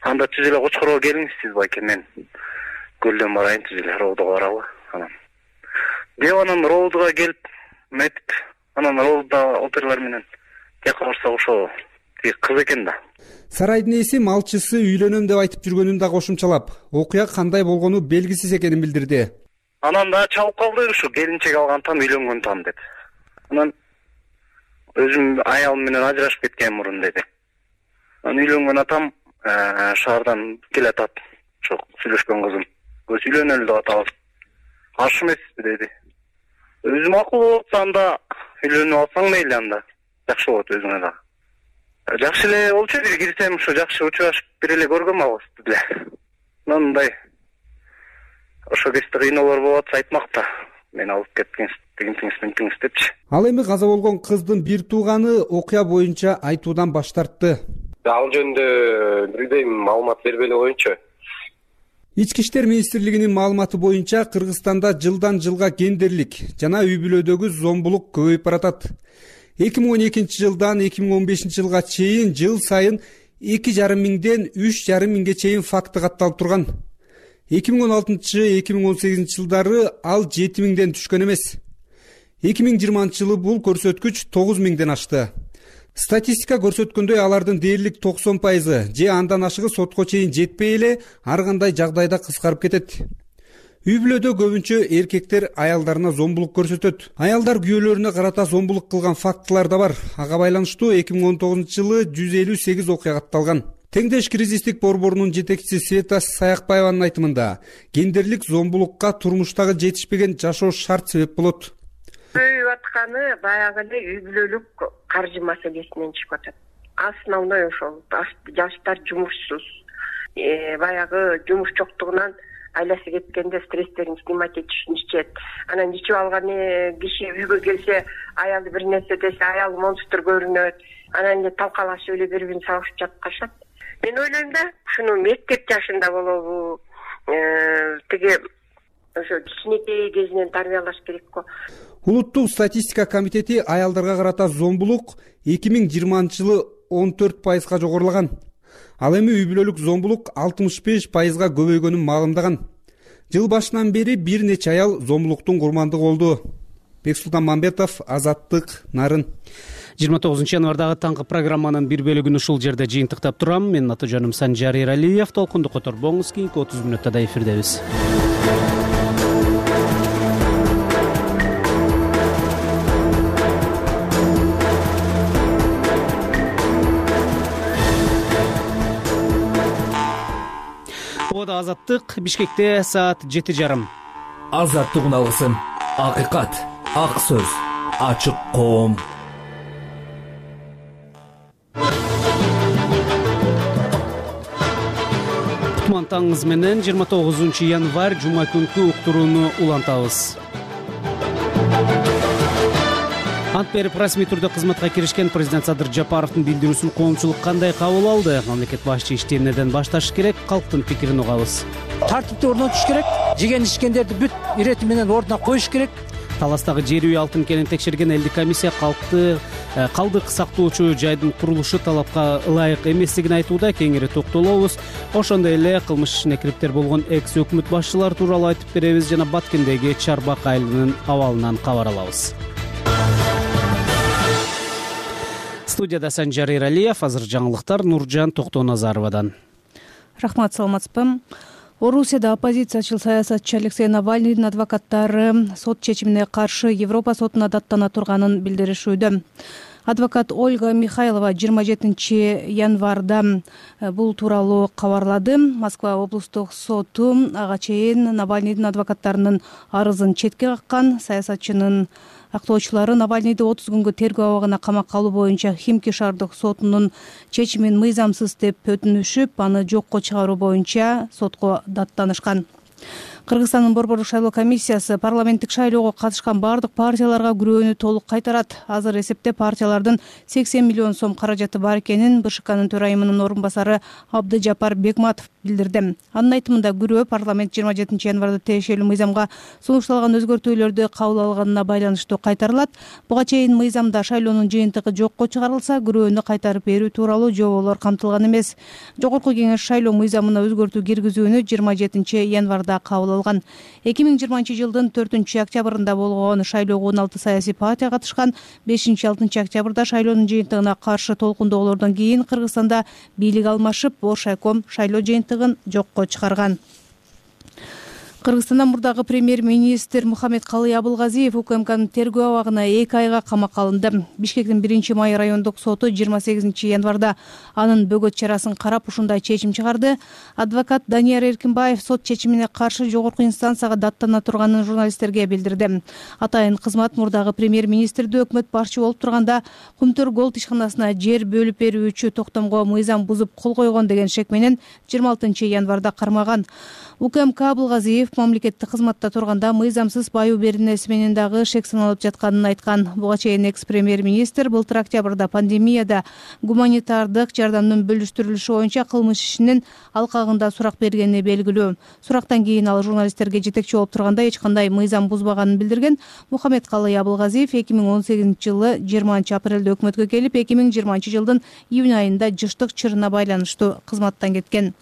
Анда түз эле Кочкорго келиңиз сиз байке, мен көлдөн барайын, түз эле Роодого баралы. Анан Роодого келип метип, анан Роодо опералар менен жака барсак ошо кыз экен да. Сарайдын ээси малчысы үйлөнөм деп айтып жүргөнүн да кошумчалап, окуя кандай болгону белгисиз экенин билдирди. Анан да чалып калды, ушу келинчек алган там, үйлөнгөн там деп. Анан өзүм аялым менен ажырашып кеткен мурун деди. Анан үйлөнгөн атам шаардан келатат, ошо сүйлөшкөн кызым. Өз үйлөнөлү деп атабыз. Каршы эмеспи деди. Өзүм акыл болуп анда үйлөнүп алсаң мейли, анда жакшы болот өзүңө да. Жакшы эле болчу, бир кирсем ушу жакшы учурашып бир эле көргөм алысты деле. Мындай ошо кезде кыйноолор болуп атса айтмакта. Мен алып кеткенсиз, тегинтиңиз депчи. Ал эми каза болгон кыздын бир тууганы окуя боюнча айтуудан баш тартты. Ал жөнүндө билбейм, маалымат бербей эле коеюнчу. Ички иштер министрлигинин маалыматы боюнча Кыргызстанда жылдан жылга гендерлик жана үй бүлөдөгү зомбулук көбөйүп баратат. 2012 жылдан 2015 жылга чейин жыл сайын 2,5 миңден 3,5 миңге чейин факты катталып турган. 2016-2018 жылдары ал 7 миңден түшкөн эмес. 2020 жылы бул көрсөткүч 9 миңден ашты. Статистика көрсөткөндөй алардын дээрлик 90% же андан ашыгы сотко чейин жетпей эле ар кандай жагдайда кыскарып кетет. Үй бүлөдө көбүнчө эркектер аялдарына зомбулук көрсөтөт. Аялдар күйөөлөрүнө карата зомбулук кылган фактылар да бар. Ага байланыштуу 2019 жылы 158 окуя катталган. Теңдеш кризистик борборунун жетекчиси Света Саякбаеванын айтымында гендерлик зомбулукка турмуштагы жетишпеген жашоо шарт себеп болот. Көбөйүп атканы баягы эле үй бүлөлүк каржы маселесинен чыгып атат. Основной ошол жаштар жумушсуз. Баягы жумуш жоктугунан айласы кеткенде стресстерин снимать этишин ичет. Анан ичип алган киши үйгө келсе, аялы бир нерсе десе, аялы монстр көрүнөт. Анан эле талкалашып эле бири-бирин сабашып жаткашат. Мен ойлойм да, ушуну мектеп жашында болобу, тиги ошо кичинекей кезинен тарбиялаш керек го. Улуттук статистика комитети аялдарга карата зомбулук 2020-жылы 14%га жогорулаган. Ал эми үй бүлөлүк зомбулук 65%га көбөйгөнүн маалымдаган. Жыл башынан бери бир нече аял зомбулуктун курмандыгы болду. Бексултан Мамбетов, Азаттык, Нарын. 29 январдагы таңкы программанын бир бөлүгүн ушул жерде жыйынтыктап турам. Менин аты жөнүм Санжар Эралиев. Толкунду которбоңуз, кийинки 30 мүнөттө да эфирдебиз. Азаттык, Бишкекте саат 7:30. Азаттык алгысын. Акыйкат, ак сөз, ачык коом. Кутман таңыңыз менен 29 январь жума күнкү уктурууну улантабыз. Ант берип расмий түрдө кызматка киришкен президент Садыр Жапаровдун билдирүүсүн коомчулук кандай кабыл алды? Мамлекет башчы ишти эмнеден башташ керек? Калктын пикирин угабыз. Тартипти орнотуш керек, жеген ичкендерди бүт ирети менен ордуна коюш керек. Таластагы жер үй алтын кенин текшерген элдик комиссия калдык сактоочу жайдын курулушу талапка ылайык эместигин айтууда. Кеңири токтолобуз. Ошондой эле кылмыш ишине кириптер болгон экс өкмөт башчылары тууралуу айтып беребиз жана Баткендеги Чарбак айылынын абалынан кабар алабыз. Студияда Санжар Эралиев, азыр жаңылыктар Нуржан Токтоназаровадан. Рахмат, саламатсызбы. Орусияда оппозициячыл саясатчы Алексей Навальныйдын адвокаттары сот чечимине каршы Европа сотуна даттана турганын билдиришүүдө. Адвокат Ольга Михайлова 27 январда бул тууралуу кабарлады. Москва облустук соту ага чейин Навальныйдын адвокаттарынын арызын четке каккан. Саясатчынын актоочулары Навальныйды 30 күнгө тергөө абагына камакка алуу боюнча Химки шаардык сотунун чечимин мыйзамсыз деп өтүнүшүп, аны жокко чыгаруу боюнча сотко даттанышкан. Кыргызстандын борбордук шайлоо комиссиясы парламенттик шайлоого катышкан бардык партияларга күрөөнү толук кайтарат. Азыр эсепте партиялардын 80 миллион сом каражаты бар экенин БШКнын төрайымынын орун басары Абдыжапар Бекматов билдирди. Анын айтымында күрөө парламент 27 январда тиешелүү мыйзамга сунушталган өзгөртүүлөрдү кабыл алганына байланыштуу кайтарылат. Буга чейин мыйзамда шайлоонун жыйынтыгы жокко чыгарылса, күрөөнү кайтарып берүү тууралуу жоболор камтылган эмес. Жогорку кеңеш шайлоо мыйзамына өзгөртүү киргизүүнү 27 январда кабыл алган. 2020 жылдын 4 октябрында болгон шайлоого 16 саясий партия катышкан. 5-6 октябрда шайлоонун жыйынтыгына каршы толкундоолордон кийин Кыргызстанда бийлик алмашып, Боршайком шайлоо жыйынтыгын жокко чыгарган. Кыргызстандан мурдагы премьер-министр Мухаммед Калый Абылгазиев УКМКнын тергөө абагына 2 айга камакка алынды. Бишкектин 1-май райондук соту 28 январда анын бөгөт чарасын карап ушундай чечим чыгарды. Адвокат Данияр Эркинбаев сот чечимине каршы жогорку инстанцияга даттана турганын журналисттерге билдирди. Атайын кызмат мурдагы премьер-министрди өкмөт башчы болуп турганда Кумтөр Голд ишканасына жер бөлүп берүүчү токтомго мыйзам бузуп кол койгон деген шек менен 26 январда кармаган. УКМК Абылгазиев мамлекеттик кызматта турганда мыйзамсыз баюу беренеси менен дагы шек саналып жатканын айткан. Буга чейин экс-премьер-министр былтыр октябрда пандемияда гуманитардык жардамдын бөлүштүрүлүшү боюнча кылмыш ишинин алкагында сурак бергени белгилүү. Сурактан кийин ал журналисттерге жетекчи болуп турганда эч кандай мыйзам бузбаганын билдирген. Мухаммед Калый Абылгазиев 2018 жылы 20 апрелде өкмөткө келип, 2020 жылдын июнь айында жыштык чырына байланыштуу кызматтан кеткен.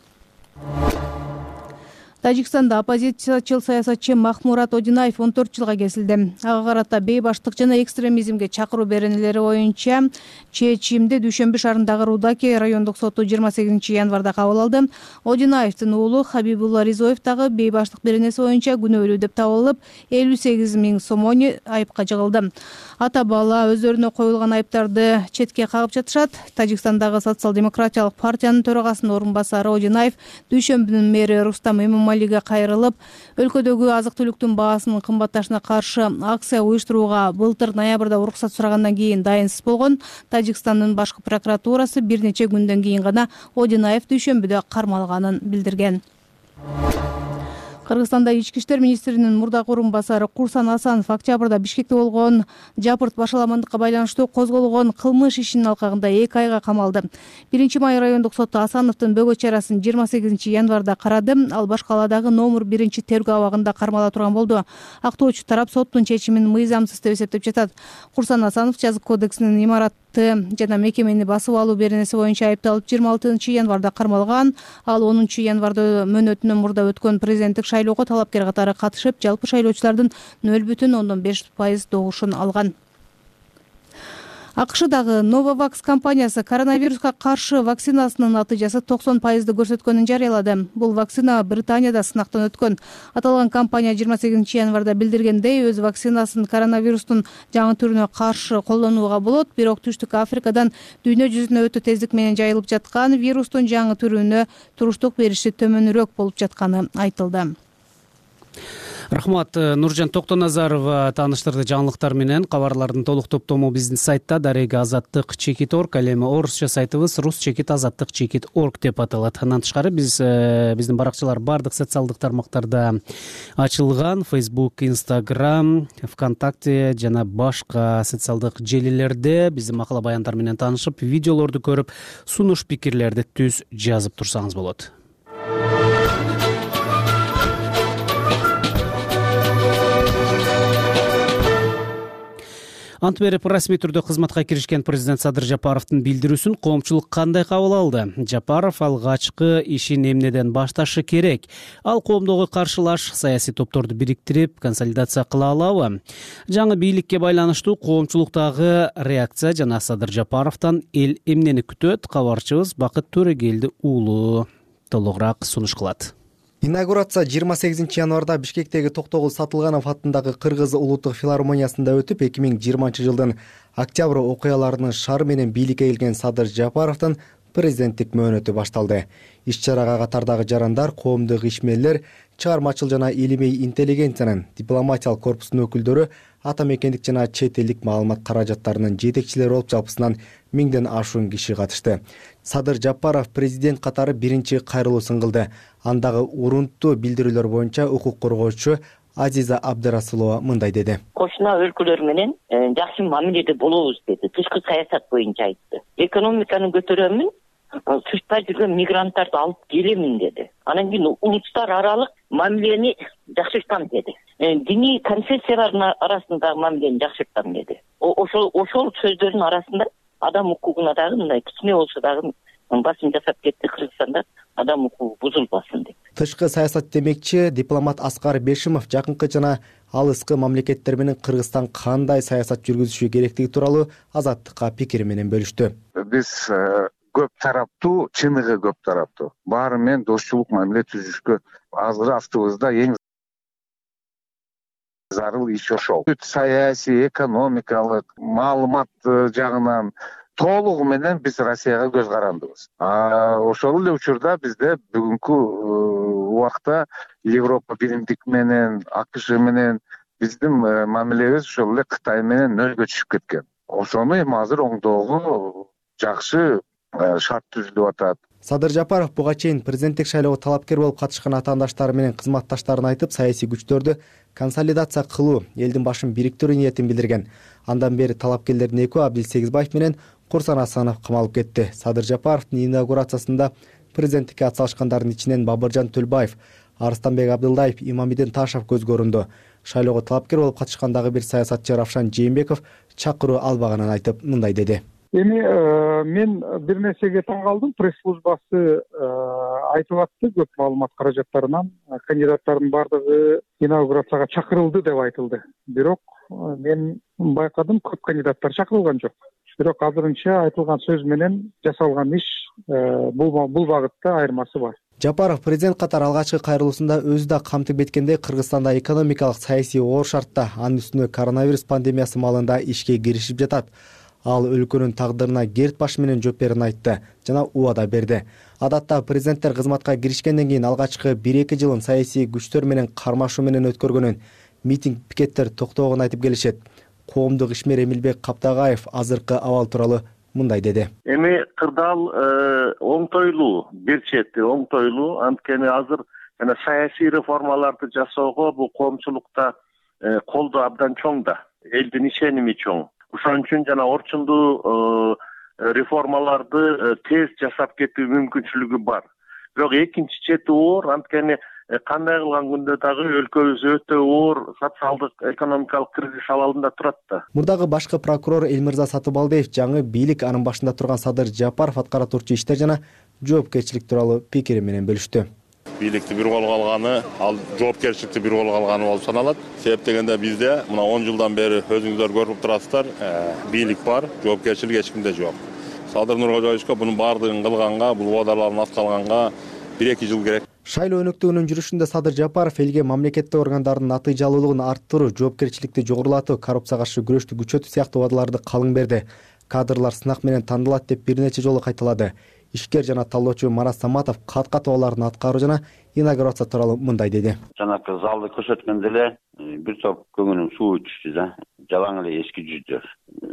Тажикстанда оппозициячыл саясатчы Махмурат Одинаев 14 жылга кесилди. Ага карата бейбаштык жана экстремизмге чакыруу беренелери боюнча чечимди Дүйшөмбү шаарындагы Рудаки райондук соту 28 январда кабыл алды. Одинаевдин уулу Хабибулла Ризоев дагы бейбаштык беренеси боюнча күнөөлүү деп табылып, 58 000 сомон айыпка жыгылды. Ата бала өздөрүнө коюлган айыптарды четке кагып жатышат. Тажикстандагы социал-демократиялык партиянын төрагасынын орун басары Одинаев Дүйшөмбүнүн мэри Рустам Эмомалиге кайрылып, өлкөдөгү азык-түлүктүн баасынын кымбатташына каршы акция уюштурууга былтыр ноябрда уруксат сурагандан кийин дайынсыз болгон. Тажикстандын башкы прокуратурасы бир нече күндөн кийин гана Одинаев Дүйшөмбүдө кармалганын билдирген. Кыргызстанда ички иштер министринин мурдагы орун басары Курсан Асанов октябрда Бишкекте болгон жапырт башаламандыкка байланыштуу козголгон кылмыш ишинин алкагында 2 айга камалды. 1 май райондук соту Асановдун бөгөт чарасын 28 январда карады. Ал баш калаадагы номер 1 тергөө абагында кармала турган болду. Актоочу тарап соттун чечимин мыйзамсыз деп эсептеп жатат. Курсан Асанов жазык кодексинин имаратты жана мекемени басып алуу беренеси боюнча айыпталып 26 январда кармалган. Ал 10 январда мөөнөтүнөн мурда өткөн президенттик шайлоого талапкер катары катышып, жалпы шайлоочулардын 0,5% добушун алган. АКШдагы Novavax компаниясы коронавируска каршы вакцинасынын натыйжасы 90% көрсөткөнүн жарыялады. Бул вакцина Британияда сынактан өткөн. Аталган компания 28 январда билдиргендей, өз вакцинасын коронавирустун жаңы түрүнө каршы колдонууга болот, бирок Түштүк Африкадан дүйнө жүзүнө өтө тездик менен жайылып жаткан вирустун жаңы түрүнө туруштук бериши төмөнүрөөк болуп жатканы айтылды. Рахмат, Нуржан Токтоназарова тааныштырды жаңылыктар менен. Кабарлардын толук топтому биздин сайтта дареги azattik.org, ал эми орусча сайтыбыз rus-azattik.org деп аталат. Андан тышкары биздин баракчалар бардык социалдык тармактарда ачылган: Facebook, Instagram, ВКонтакте жана башка социалдык желилерде биздин макала баяндар менен таанышып, видеолорду көрүп, сунуш пикирлерди түз жазып турсаңыз болот. Ант берип расмий түрдө кызматка киришкен президент Садыр Жапаровдун билдирүүсүн коомчулук кандай кабыл алды? Жапаров алгачкы ишин эмнеден башташы керек? Ал коомдогу каршылаш саясий топторду бириктирип, консолидация кыла алабы? Жаңы бийликке байланыштуу коомчулуктагы реакция жана Садыр Жапаровдон эл эмнени күтөт? Кабарчыбыз Бакыт Төрөгелди уулу толугураак сунуш кылат. Инаугурация 28 январда Бишкектеги Токтогул Сатылганов атындагы Кыргыз улуттук филармониясында өтүп, 2020 жылдын октябрь окуяларынын шары менен бийликке келген Садыр Жапаровдун президенттик мөөнөтү башталды. Иш-чарага катардагы жарандар, коомдук ишмерлер, чыгармачыл жана илимий интеллигенциянын, дипломатиялык корпустун өкүлдөрү, ата мекендик жана чет элдик маалымат каражаттарынын жетекчилери болуп жалпысынан 1000ден ашуун киши катышты. Садыр Жапаров президент катары биринчи кайрылуусын кылды. Андагы урунттуу билдирүүлөр боюнча укук коргоочу Азиза Абдырасулова мындай деди. Кошуна өлкөлөр менен жакшы мамиледе болобуз деди. Тышкы саясат боюнча айтты. Экономиканы көтөрөмүн, тышта жүргөн мигранттарды алып келемин деди. Анан кийин улуттар аралык мамилени жакшыртам деди. Диний конфессиялардын арасындагы мамилени жакшыртам деди. Ошол сөздөрдүн арасында адам укугуна дагы мындай кичине болсо дагы басым жасап кетти. Кыргызстанда адам укугу бузулбасын деп. Тышкы саясат демекчи дипломат Аскар Бешимов жакынкы жана алыскы мамлекеттер менен Кыргызстан кандай саясат жүргүзүшү керектиги тууралуу Азаттыкка пикири менен бөлүштү. Биз көп тараптуу, чыныгы көп тараптуу баары менен дошчулук мамиле түзүшкө азыр астыбызда эң зарыл иш ошол. Саясий, экономикалык, маалымат жагынан толугу менен биз Россияга көз карандыбыз. Ошол эле учурда бизде бүгүнкү убакта Европа биримдик менен, АКШ менен биздин мамилебиз ошол эле Кытай менен нөлгө түшүп кеткен. Ошону эми азыр оңдоого жакшы шарт түзүлүп атат. Садыр Жапаров буга чейин президенттик шайлоого талапкер болуп катышкан атаандаштары менен кызматташтарын айтып, саясий күчтөрдү консолидация кылуу, элдин башын бириктирүү ниетин билдирген. Андан бери талапкерлердин экөө Абдил Сегизбаев менен Курсан Асанов камалып кетти. Садыр Жапаровдун инаугурациясында президенттикке атсалышкандардын ичинен Бабыржан Төлбаев, Арыстанбек Абдылдаев, Имамидин Ташев көзгө көрүндү. Шайлоого талапкер болуп катышкандагы бир саясатчы Равшан Жээнбеков чакыруу албаганын айтып, мындай деди. Эми мен бир нерсеге таң калдым. Пресс службасы айтып атты, көп маалымат каражаттарынан кандидаттардын баардыгы инаугурацияга чакырылды деп айтылды. Бирок мен байкадым, көп кандидаттар чакырылган жок. Бирок азырынча айтылган сөз менен жасалган иш бул багытта айырмасы бар. Жапаров президент катары алгачкы кайрылуусунда өзү да камтып кеткендей, Кыргызстанда экономикалык саясий оор шартта, анын үстүнө коронавирус пандемиясы маалында ишке киришип жатат. Ал өлкөнүн тагдырына керт баш менен жооп берин айтты жана убада берди. Адатта президенттер кызматка киришкенден кийин алгачкы 1-2 жылын саясий күчтөр менен кармашуу менен өткөргөнүн, митинг, пикеттер токтогонун айтып келишет. Коомдук ишмер Эмилбек Каптагаев азыркы абал тууралуу мындай деди. Эми кырдаал оңтойлуу, бир чети оңтойлуу, анткени азыр жана саясий реформаларды жасоого бул коомчулукта колдоо абдан чоң да, элдин ишеними чоң. Ошон үчүн жана орчундуу реформаларды тез жасап кетүү мүмкүнчүлүгү бар. Бирок экинчи чети оор, анткени кандай кылган күндө дагы өлкөбүз өтө оор социалдык экономикалык кризис абалында турат да. Мурдагы башкы прокурор Элмирза Сатыбалдиев жаңы бийлик анын башында турган Садыр Жапаров аткара турчу иштер жана жоопкерчилик тууралуу пикири менен бөлүштү. Бийликти бир колго алганы, ал жоопкерчиликти бир колго алганы болуп саналат. Себеп дегенде бизде мына 10 жылдан бери өзүңүздөр көрүп турасыздар, бийлик бар, жоопкерчилик эч кимде жок. Садыр Нуркожоевичке бунун баардыгын кылганга, бул убадаларын аткарганга 1-2 жыл керек. Шайлоо өнөктүгүнүн жүрүшүндө Садыр Жапаров элге мамлекеттик органдардын натыйжалуулугун арттыруу, жоопкерчиликти жогорулатуу, коррупцияга каршы күрөштү күчөтүү сыяктуу убадаларды калың берди. Кадрлар сынак менен тандалат деп бир нече жолу кайталады. Ишкер жана талоочу Марат Саматов кат абалдарын аткаруу жана инаугурация тууралуу мындай деди. Жанакы залды көрсөткөндө эле бир топ көңүлүм суу түштү да. Жалаң эле эски жүздөр.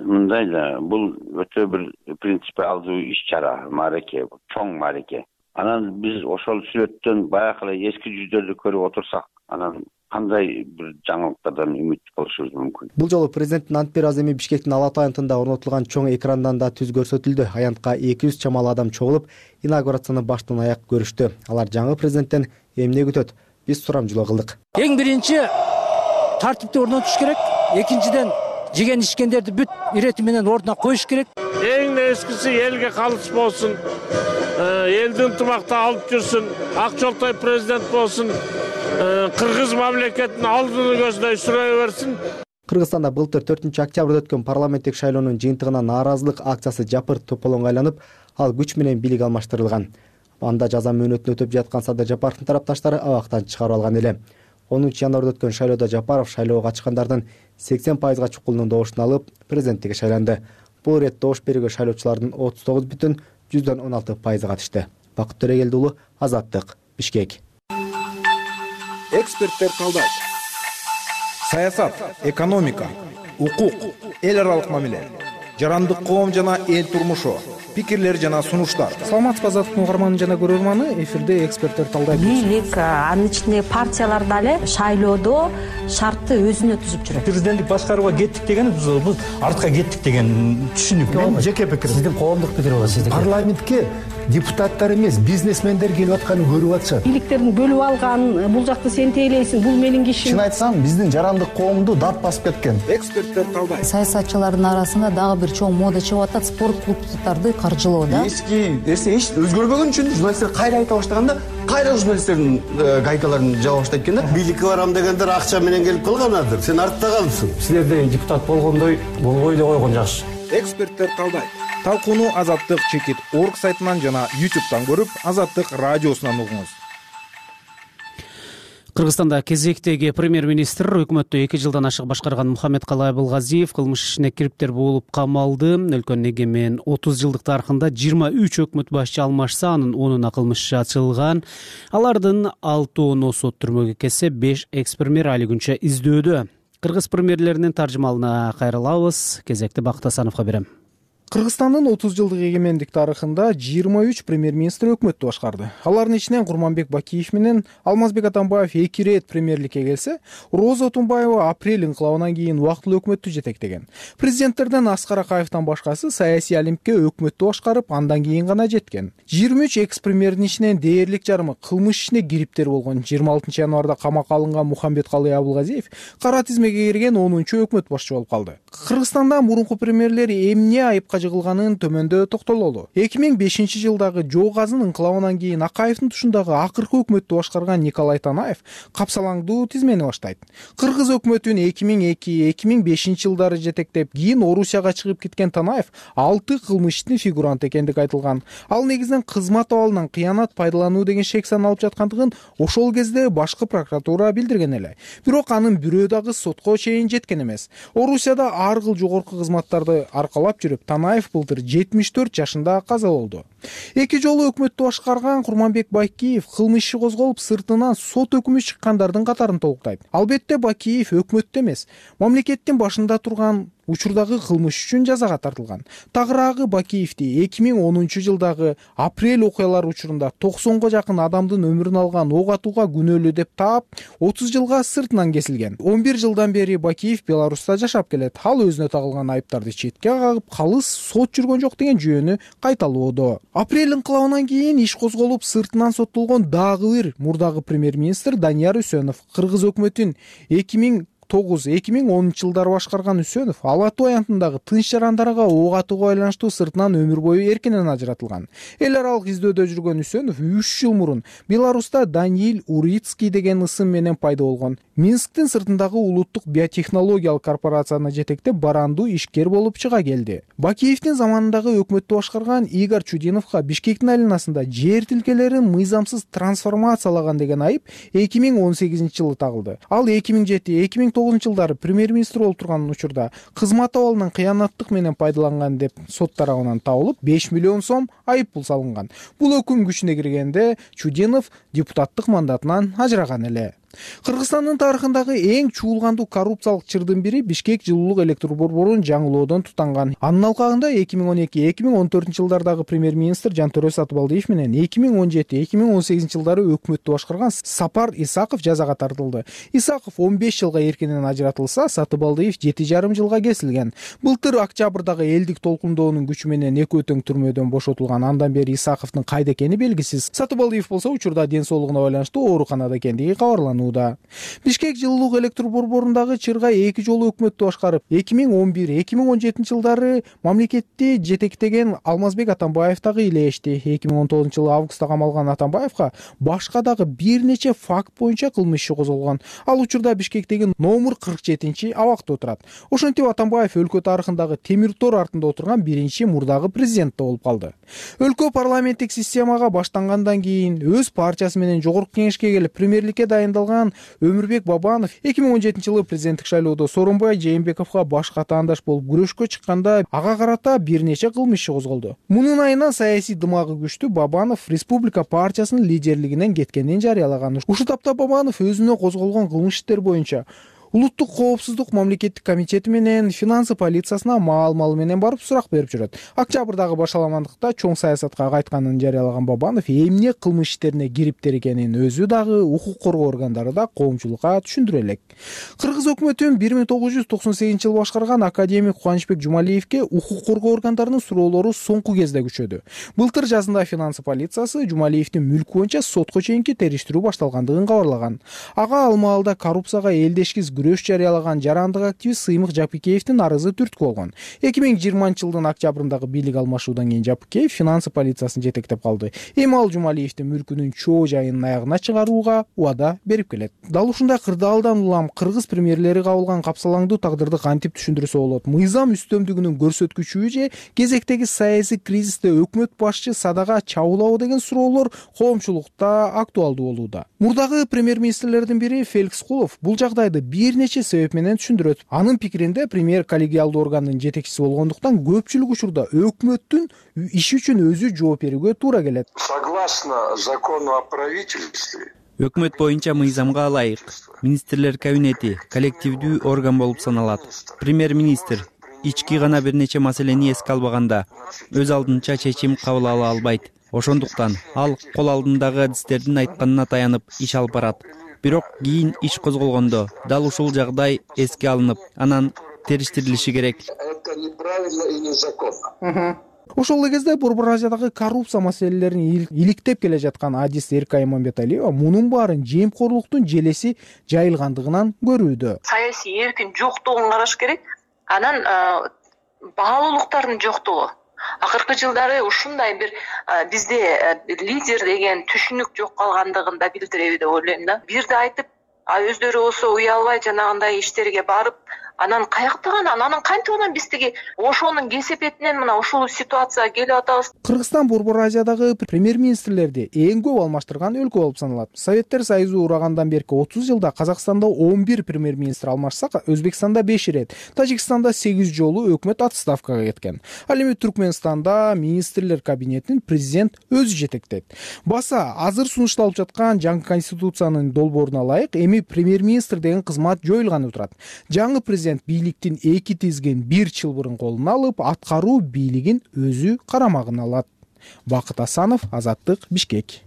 Мындай да, бул өтө бир принципиалдуу иш-чара, маареке, чоң маареке. Анан биз ошол сүрөттөн баягы эле эски жүздөрдү көрүп отурсак, анан кандай бир жаңылыктардан үмүт кылышыбыз мүмкүн. Бул жолу президенттин ант бер аземи Бишкектин Алатуу аянтында орнотулган чоң экрандан да түз көрсөтүлдү. Аянтка 200 чамалы адам чогулуп, инаугурацияны баштан аяк көрүштү. Алар жаңы президенттен эмне күтөт? Биз сурамжылоо кылдык. Эң биринчи тартипти орнотуш керек. Экинчиден жеген ичкендерди бүт ирети менен ордуна коюш керек. Эң эскиси элге калыс болсун. Элдин ынтымакта алып жүрсүн. Ак жолтой президент болсун. Кыргыз мамлекетинин алдын көздөй сүрөй берсин. Кыргызстанда былтыр 4-октябрда өткөн парламенттик шайлоонун жыйынтыгына нааразылык акциясы жапырт тополоңго айланып, ал күч менен бийлик алмаштырылган. Анда жаза мөөнөтүн өтөп жаткан Садыр Жапаровдун тарапташтары абактан чыгарып алган эле. 10-январда өткөн шайлоодо Жапаров шайлоого катышкандардын 80%га чукулунун добушун алып, президенттикке шайланды. Бул ирет добуш берүүгө шайлоочулардын 39,16% катышты. Бакыт Төрөгелди уулу, Азаттык, Бишкек. Эксперттер талдайт. Саясат, экономика, укук, эл аралык мамиле, жарандык коом жана эл турмушу, пикирлер жана сунуштар. Саламатсызбы Азаттыктын угарманы жана көрөрманы, эфирде эксперттер талдайт. Бийлик, анын ичинде партиялар дагы шайлоодо шартты өзүнө түзүп жүрөт. Президенттик башкарууга кеттик деген биз артка кеттик деген түшүнүк. Мен жеке пикирим. Сиздин коомдук пикир бар сиздин. Парламентке депутаттар эмес, бизнесмендер келип атканын көрүп атышат. Бийликтерин бөлүп алган, бул жакты сен тейлейсиң, бул менин кишим. Чын айтсам, биздин жарандык коомду дат басып кеткен. Эксперттер талдайт. Саясатчылардын арасында дагы бир чоң мода чыгып атат, спорт клубдарды каржылоо да. Эски нерсе эч өзгөрбөгөн үчүн журналисттер кайра айта баштаганда, кайра журналисттердин гайкаларын жаба баштайт экен да. Бийликке барам дегендер акча менен келип калганадыр. Сен артта калыпсың. Силерде депутат болгондой болбой эле койгон жакшы. Эксперттер талдайт. Талкууну Азаттык чекит орг сайтынан жана YouTube'дан көрүп, Азаттык радиосунан угуңуз. Кыргызстанда кезектеги премьер-министр өкмөттү 2 жылдан ашык башкарган Мухаммедкалый Абылгазиев кылмыш ишине кириптер болуп камалды. Өлкөнүн эгемен 30 жылдык тарыхында 23 өкмөт башчы алмашса, анын 10-уна кылмыш иши ачылган. Алардын 6-оону сот түрмөгө кетсе, 5 экс-премьер али күнчө издөөдө. Кыргыз премьерлеринин таржымалына кайрылабыз. Кезекти Бакыт Асановго берем. Кыргызстандын 30 жылдык эгемендик тарыхында 23 премьер-министр өкмөттү башкарды. Алардын ичинен Курманбек Бакиев менен Алмазбек Атамбаев 2 рет премьерликке келсе, Роза Отунбаева апрель инкылабынан кийин убактылуу өкмөттү жетектеген. Президенттерден Аскар Акаевдин башкасы саясий алимке өкмөттү башкарып, андан кийин гана жеткен. 23 экс-премьердин ичинен дээрлик жарымы кылмыш ишине кириптер болгон. 26 январда камакка алынган Мухаммедкалый Абылгазиев кара тизмеге кирген 10-өкмөт башчы болуп калды. Кыргызстанда мурунку премьерлер эмне айыпка ыктыяжы кылганын төмөндө токтололу. 2005 жылдагы Жоо газын ыңкылабынан кийин Акаевдин тушундагы акыркы өкмөттү башкарган Николай Танаев капсалаңдуу тизмени баштайт. Кыргыз өкмөтүн 2002-2005 жылдары жетектеп, кийин Орусияга чыгып кеткен Танаев 6 кылмыш иштин фигуранты экендиги айтылган. Ал негизинен кызмат абалынан кыянат пайдалануу деген шек саналып жаткандыгын ошол кезде башкы прокуратура билдирген эле. Бирок анын бирөө дагы сотко чейин жеткен эмес. Орусияда ар кыл жогорку кызматтарды аркалап жүрүп, Танаев былтыр 74 жашында каза болду. 2 жолу өкмөттү башкарган Курманбек Бакиев кылмыш иши козголуп, сыртынан сот өкүмү чыккандардын катарын толуктайт. Албетте Бакиев өкмөттө эмес, мамлекеттин башында турган учурдагы кылмыш үчүн жазага тартылган. Тагыраагы Бакиевди 2010 жылдагы апрель окуялары учурунда 90га жакын адамдын өмүрүн алган ок атууга күнөөлүү деп таап, 30 жылга сыртынан кесилген. 11 жылдан бери Бакиев Беларуста жашап келет. Ал өзүнө тагылган айыптарды четке кагып, калыс сот жүргөн жок деген жүйөнү кайталоодо. Апрель ыңкылабынан кийин иш козголуп, сыртынан соттолгон дагы бир мурдагы премьер-министр Данияр Үсөнов. Кыргыз өкмөтүн 2009-2010 жылдары башкарган Үсөнов Ала Тоо аянтындагы тынч жарандарга ок атууга байланыштуу сыртынан өмүр бою эркинен ажыратылган. Эл аралык издөөдө жүргөн Үсөнов 3 жыл мурун Беларуста Даниил Урицкий деген ысым менен пайда болгон. Минсктин сыртындагы улуттук биотехнологиялык корпорацияны жетектеп, барандуу ишкер болуп чыга келди. Бакиевдин заманындагы өкмөттү башкарган Игорь Чудиновго Бишкектин айланасында жер тилкелерин мыйзамсыз трансформациялаган деген айып 2018 жылы тагылды. Ал 2007-2009 жылдары премьер-министр болуп турган учурда кызмат абалынан кыянаттык менен пайдаланган деп сот тарабынан табылып, 5 миллион сом айып пул салынган. Бул өкүм күчүнө киргенде Чудинов депутаттык мандатынан ажыраган эле. Кыргызстандын тарыхындагы эң чуулгандуу коррупциялык чырдын бири Бишкек жылуулук электр борборун жаңылоодон тутанган. Анын алкагында 2012-2014 жылдардагы премьер-министр Жантөрө Сатыбалдиев менен 2017-2018 жылдары өкмөттү башкарган Сапар Исаков жазага тартылды. Исаков 15 жылга эркинен ажыратылса, Сатыбалдиев 7,5 жылга кесилген. Былтыр октябрдагы элдик толкундоонун күчү менен экөө тең түрмөдөн бошотулган. Андан бери Исаковдун кайда экени белгисиз. Сатыбалдиев болсо учурда ден соолугуна байланыштуу ооруканада экендиги кабарланды. Бишкек жылуулук электр борборундагы чырга 2 жолу өкмөттү башкарып, 2011-2017 жылдары мамлекетти жетектеген Алмазбек Атамбаев дагы илешти. 2019 жылы августта камалган Атамбаевга башка дагы бир нече факт боюнча кылмыш иши козголгон. Ал учурда Бишкектеги номер 47 абакта отурат. Ошентип Атамбаев өлкө тарыхындагы темир тор артында отурган биринчи мурдагы президент болуп калды. Өлкө парламенттик системага баштангандан кийин өз партиясы менен жогорку кеңешке келип, премьерликке дайындалган Өмүрбек Бабанов 2017 жылы президенттик шайлоодо Сооронбай Жээнбековго баш катаандаш болуп күрөшкө чыкканда ага карата бир нече кылмыш иши козголду. Мунун айынан саясий дымагы күчтүү Бабанов Республика партиясынын лидерлигинен кеткенин жарыялаган. Ушул тапта Бабанов өзүнө козголгон кылмыш иштер боюнча Улуттук коопсуздук мамлекеттик комитети менен финансы полициясына маал-малы менен барып сурак берип жүрөт. Октябрдагы башаламандыкта чоң саясатка кайтканын жарыялаган Бабанов эмне кылмыш иштерине кириптер экенин өзү дагы укук коргоо органдары да коомчулукка түшүндүрө элек. Кыргыз өкмөтүн 1998 жылы башкарган академик Кубанычбек Жумалиевге укук коргоо органдарынын суроолору соңку кезде күчөдү. Былтыр жазында финансы полициясы Жумалиевдин мүлкү боюнча сотко чейинки териштирүү башталгандыгын кабарлаган. Ага ал маалда коррупцияга элдешкиз күрөш жарыялаган жарандык активист Сыймык Жапыкеевдин арызы түрткү болгон. 2020 жылдын октябрындагы бийлик алмашуудан кийин Жапыкеев финансы полициясын жетектеп калды. Эми ал Жумалиевдин мүлкүнүн чоо жайынын аягына чыгарууга убада берип келет. Дал ушундай кырдаалдан улам кыргыз премьерлери кабылган капсалаңдуу тагдырды кантип түшүндүрсө болот? Мыйзам үстөмдүгүнүн көрсөткүчүбү же кезектеги саясий кризисте өкмөт башчы садага чабуулабы деген суроолор коомчулукта актуалдуу болууда. Мурдагы премьер-министрлердин бири Феликс Кулов бул жагдайды бир нече себеп менен түшүндүрөт. Анын пикиринде премьер коллегиалдуу органдын жетекчиси болгондуктан көпчүлүк учурда өкмөттүн иши үчүн өзү жооп берүүгө туура келет. Согласно закону о правительстве, өкмөт боюнча мыйзамга ылайык министрлер кабинети коллективдүү орган болуп саналат. Премьер-министр ички гана бир нече маселени эске албаганда өз алдынча чечим кабыл ала албайт. Ошондуктан ал кол алдындагы адистердин айтканына таянып иш алып барат. Бирок кийин иш козголгондо дал ушул жагдай эске алынып, анан териштирилиши керек. Это неправильно и незаконно. Ошол эле кезде Борбор Азиядагы коррупция маселелерин иликтеп келе жаткан адис Эркай Иманбеталиева мунун баарын жемкорлуктун желеси жайылгандыгынан көрүүдө. Саясий эркин жоктугун караш керек. Анан баалуулуктардын жоктугу. Акыркы жылдары ушундай бир бизде лидер деген түшүнүк жок калгандыгын да билдиреби деп ойлойм да. Бирди айтып, өздөрү болсо уялбай жанагындай иштерге барып, анан каяктаган, анан кантип анан биз тиги ошонун кесепетинен мына ушул ситуацияга келип атабыз. Кыргызстан Борбор Азиядагы премьер-министрлерди эң көп алмаштырган өлкө болуп саналат. Советтер Союзу урагандан берки 30 жылда Казакстанда 11 премьер-министр алмашса, Өзбекстанда 5 ирет, Тажикстанда 8 жолу өкмөт отставкага кеткен. Ал эми Түркмөнстанда министрлер кабинетин президент өзү жетектейт. Баса азыр сунушталып жаткан жаңы конституциянын долбооруна ылайык эми премьер-министр деген кызмат жоюлганы турат. Жаңы президент бийликтин эки тизген бир чылбырын колуна алып, аткаруу бийлигин өзү карамагына алат. Бакыт Асанов, Азаттык, Бишкек.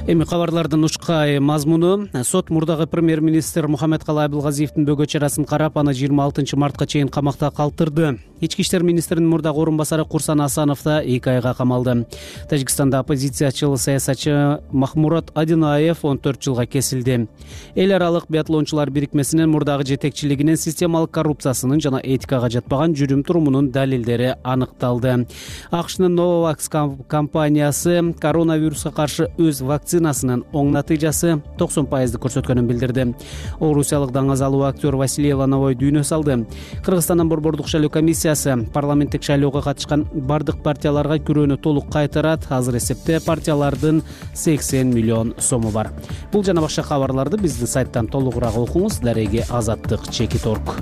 Эми кабарлардын учкай мазмуну: сот мурдагы премьер-министр Мухаммедкалый Абылгазиевдин бөгө чарасын карап, аны 26 мартка чейин камакта калтырды. Ички иштер министринин мурдагы орун басары Курсан Асанов да 2 айга камалды. Тажикстанда оппозициячыл саясатчы Махмурат Адинаев 14 жылга кесилди. Эл аралык биатлончулар бирикмесинин мурдагы жетекчилигинин системалык коррупциясынын жана этикага жатпаган жүрүм-турумунун далилдери аныкталды. АКШнын Novavax компаниясы коронавируска каршы өз вакцинасынын оң натыйжасы 90% көрсөткөнүн билдирди. Орусиялык даңазалуу актер Василий Лановой дүйнө салды. Кыргызстандын борбордук шайлоо комиссиясы парламенттик шайлоого катышкан бардык партияларга күрөөнү толук кайтарат. Азыр эсепте партиялардын 80 миллион сому бар. Бул жана башка кабарларды биздин сайттан толугураак окуңуз. Дареги Азаттык.org.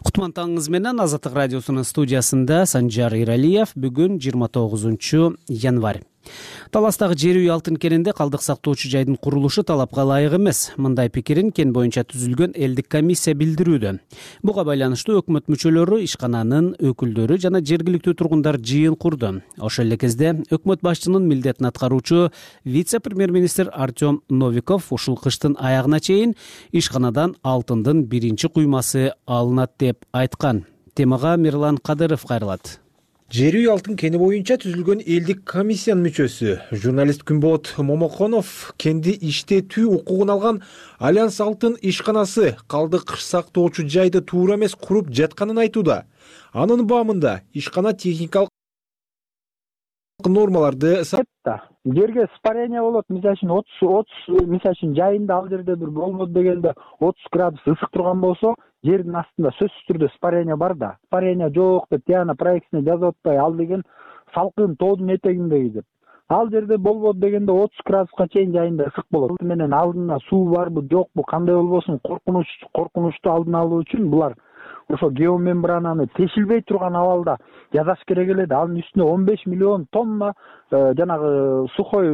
Кутман таңыңыз менен. Азаттык радиосунун студиясында Санжар Иралиев. Бүгүн 29 январь. Таластагы жер үй алтын кенинде калдык сактоочу жайдын курулушу талапка ылайык эмес. Мындай пикирин кен боюнча түзүлгөн элдик комиссия билдирүүдө. Буга байланыштуу өкмөт мүчөлөрү, ишкананын өкүлдөрү жана жергиликтүү тургундар жыйын курду. Ошол эле кезде өкмөт башчынын милдетин аткаруучу вице-премьер-министр Артем Новиков ушул кыштын аягына чейин ишканадан алтындын биринчи куймасы алынат деп айткан. Темага Мирлан Кадыров кайрылат. Жер үй алтын кени боюнча түзүлгөн элдик комиссиянын мүчөсү журналист Күнбот Момоконов кенди иштетүү укугун алган Альянс алтын ишканасы калдык сактоочу жайды туура эмес куруп жатканын айтууда. Анын баамында ишкана техникалык нормаларды жерге спарение болот, мисалы үчүн 30 мисалы үчүн жайында ал жерде бир болбойт дегенде 30 градус ысык турган болсо, жердин астында сөзсүз түрдө спарение бар да. Спарение жок деп тияна проектисине жазып атпай, ал деген салкын тоодун этегиндеги деп. Ал жерде болбойт дегенде 30 градуска чейин жайында ысык болот. Менен алдына суу барбы, жокпу, кандай болбосун коркунучту алдын алуу үчүн булар ошо геомембрананы тешилбей турган абалда жасаш керек эле. Анын үстүнө 15 миллион тонна жанагы сухой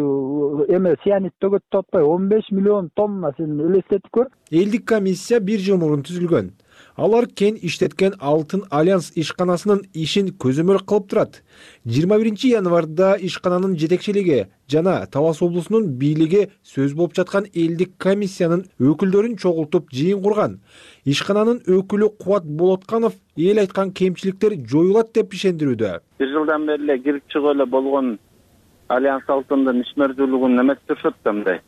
цианид төгөт деп атпай, 15 миллион тонна сен элестетип көр. Элдик комиссия 1 жыл мурун түзүлгөн. Алар кен иштеткен алтын Альянс ишканасынын ишин көзөмөл кылып турат. 21 январда ишкананын жетекчилиги жана Талас облусунун бийлиги сөз болуп жаткан элдик комиссиянын өкүлдөрүн чогултуп жыйын курган. Ишкананын өкүлү Кубат Болотканов эл айткан кемчиликтер жоюлат деп ишендирүүдө. 1 жылдан бери эле кирип чыгып эле болгон Альянс алтындын ишмердүүлүгүн эметишет да мындай.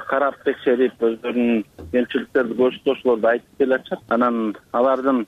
Карап текшерип өздөрүнүн кемчиликтерди көрсөтүүлөрдү айтып келатышат. Анан алардын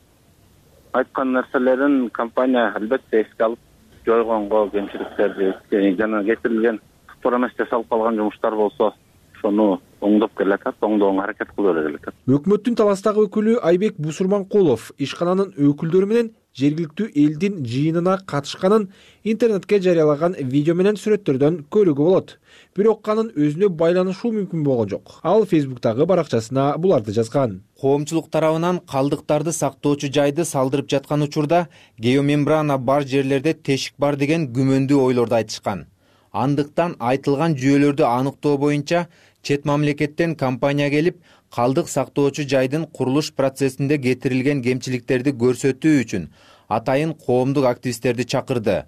айткан нерселерин компания албетте эске алып жойгонго, кемчиликтерди жана кетирилген туура эмес жасалып калган жумуштар болсо ошону оңдоп келатат, оңдоого аракет кылып келатат. Өкмөттүн Таластагы өкүлү Айбек Бусурманкулов ишкананын өкүлдөрү менен жергиликтүү элдин жыйынына катышканын интернетке жарыялаган видео менен сүрөттөрдөн көрүүгө болот. Бирок анын өзүнө байланышуу мүмкүн болгон жок. Ал Facebook'тагы баракчасына буларды жазган. Коомчулук тарабынан калдыктарды сактоочу жайды салдырып жаткан учурда геомембрана бар жерлерде тешик бар деген күмөндүү ойлорду айтышкан. Андыктан айтылган жүйөлөрдү аныктоо боюнча чет мамлекеттен компания келип, калдык сактоочу жайдын курулуш процессинде кетирилген кемчиликтерди көрсөтүү үчүн атайын коомдук активисттерди чакырды.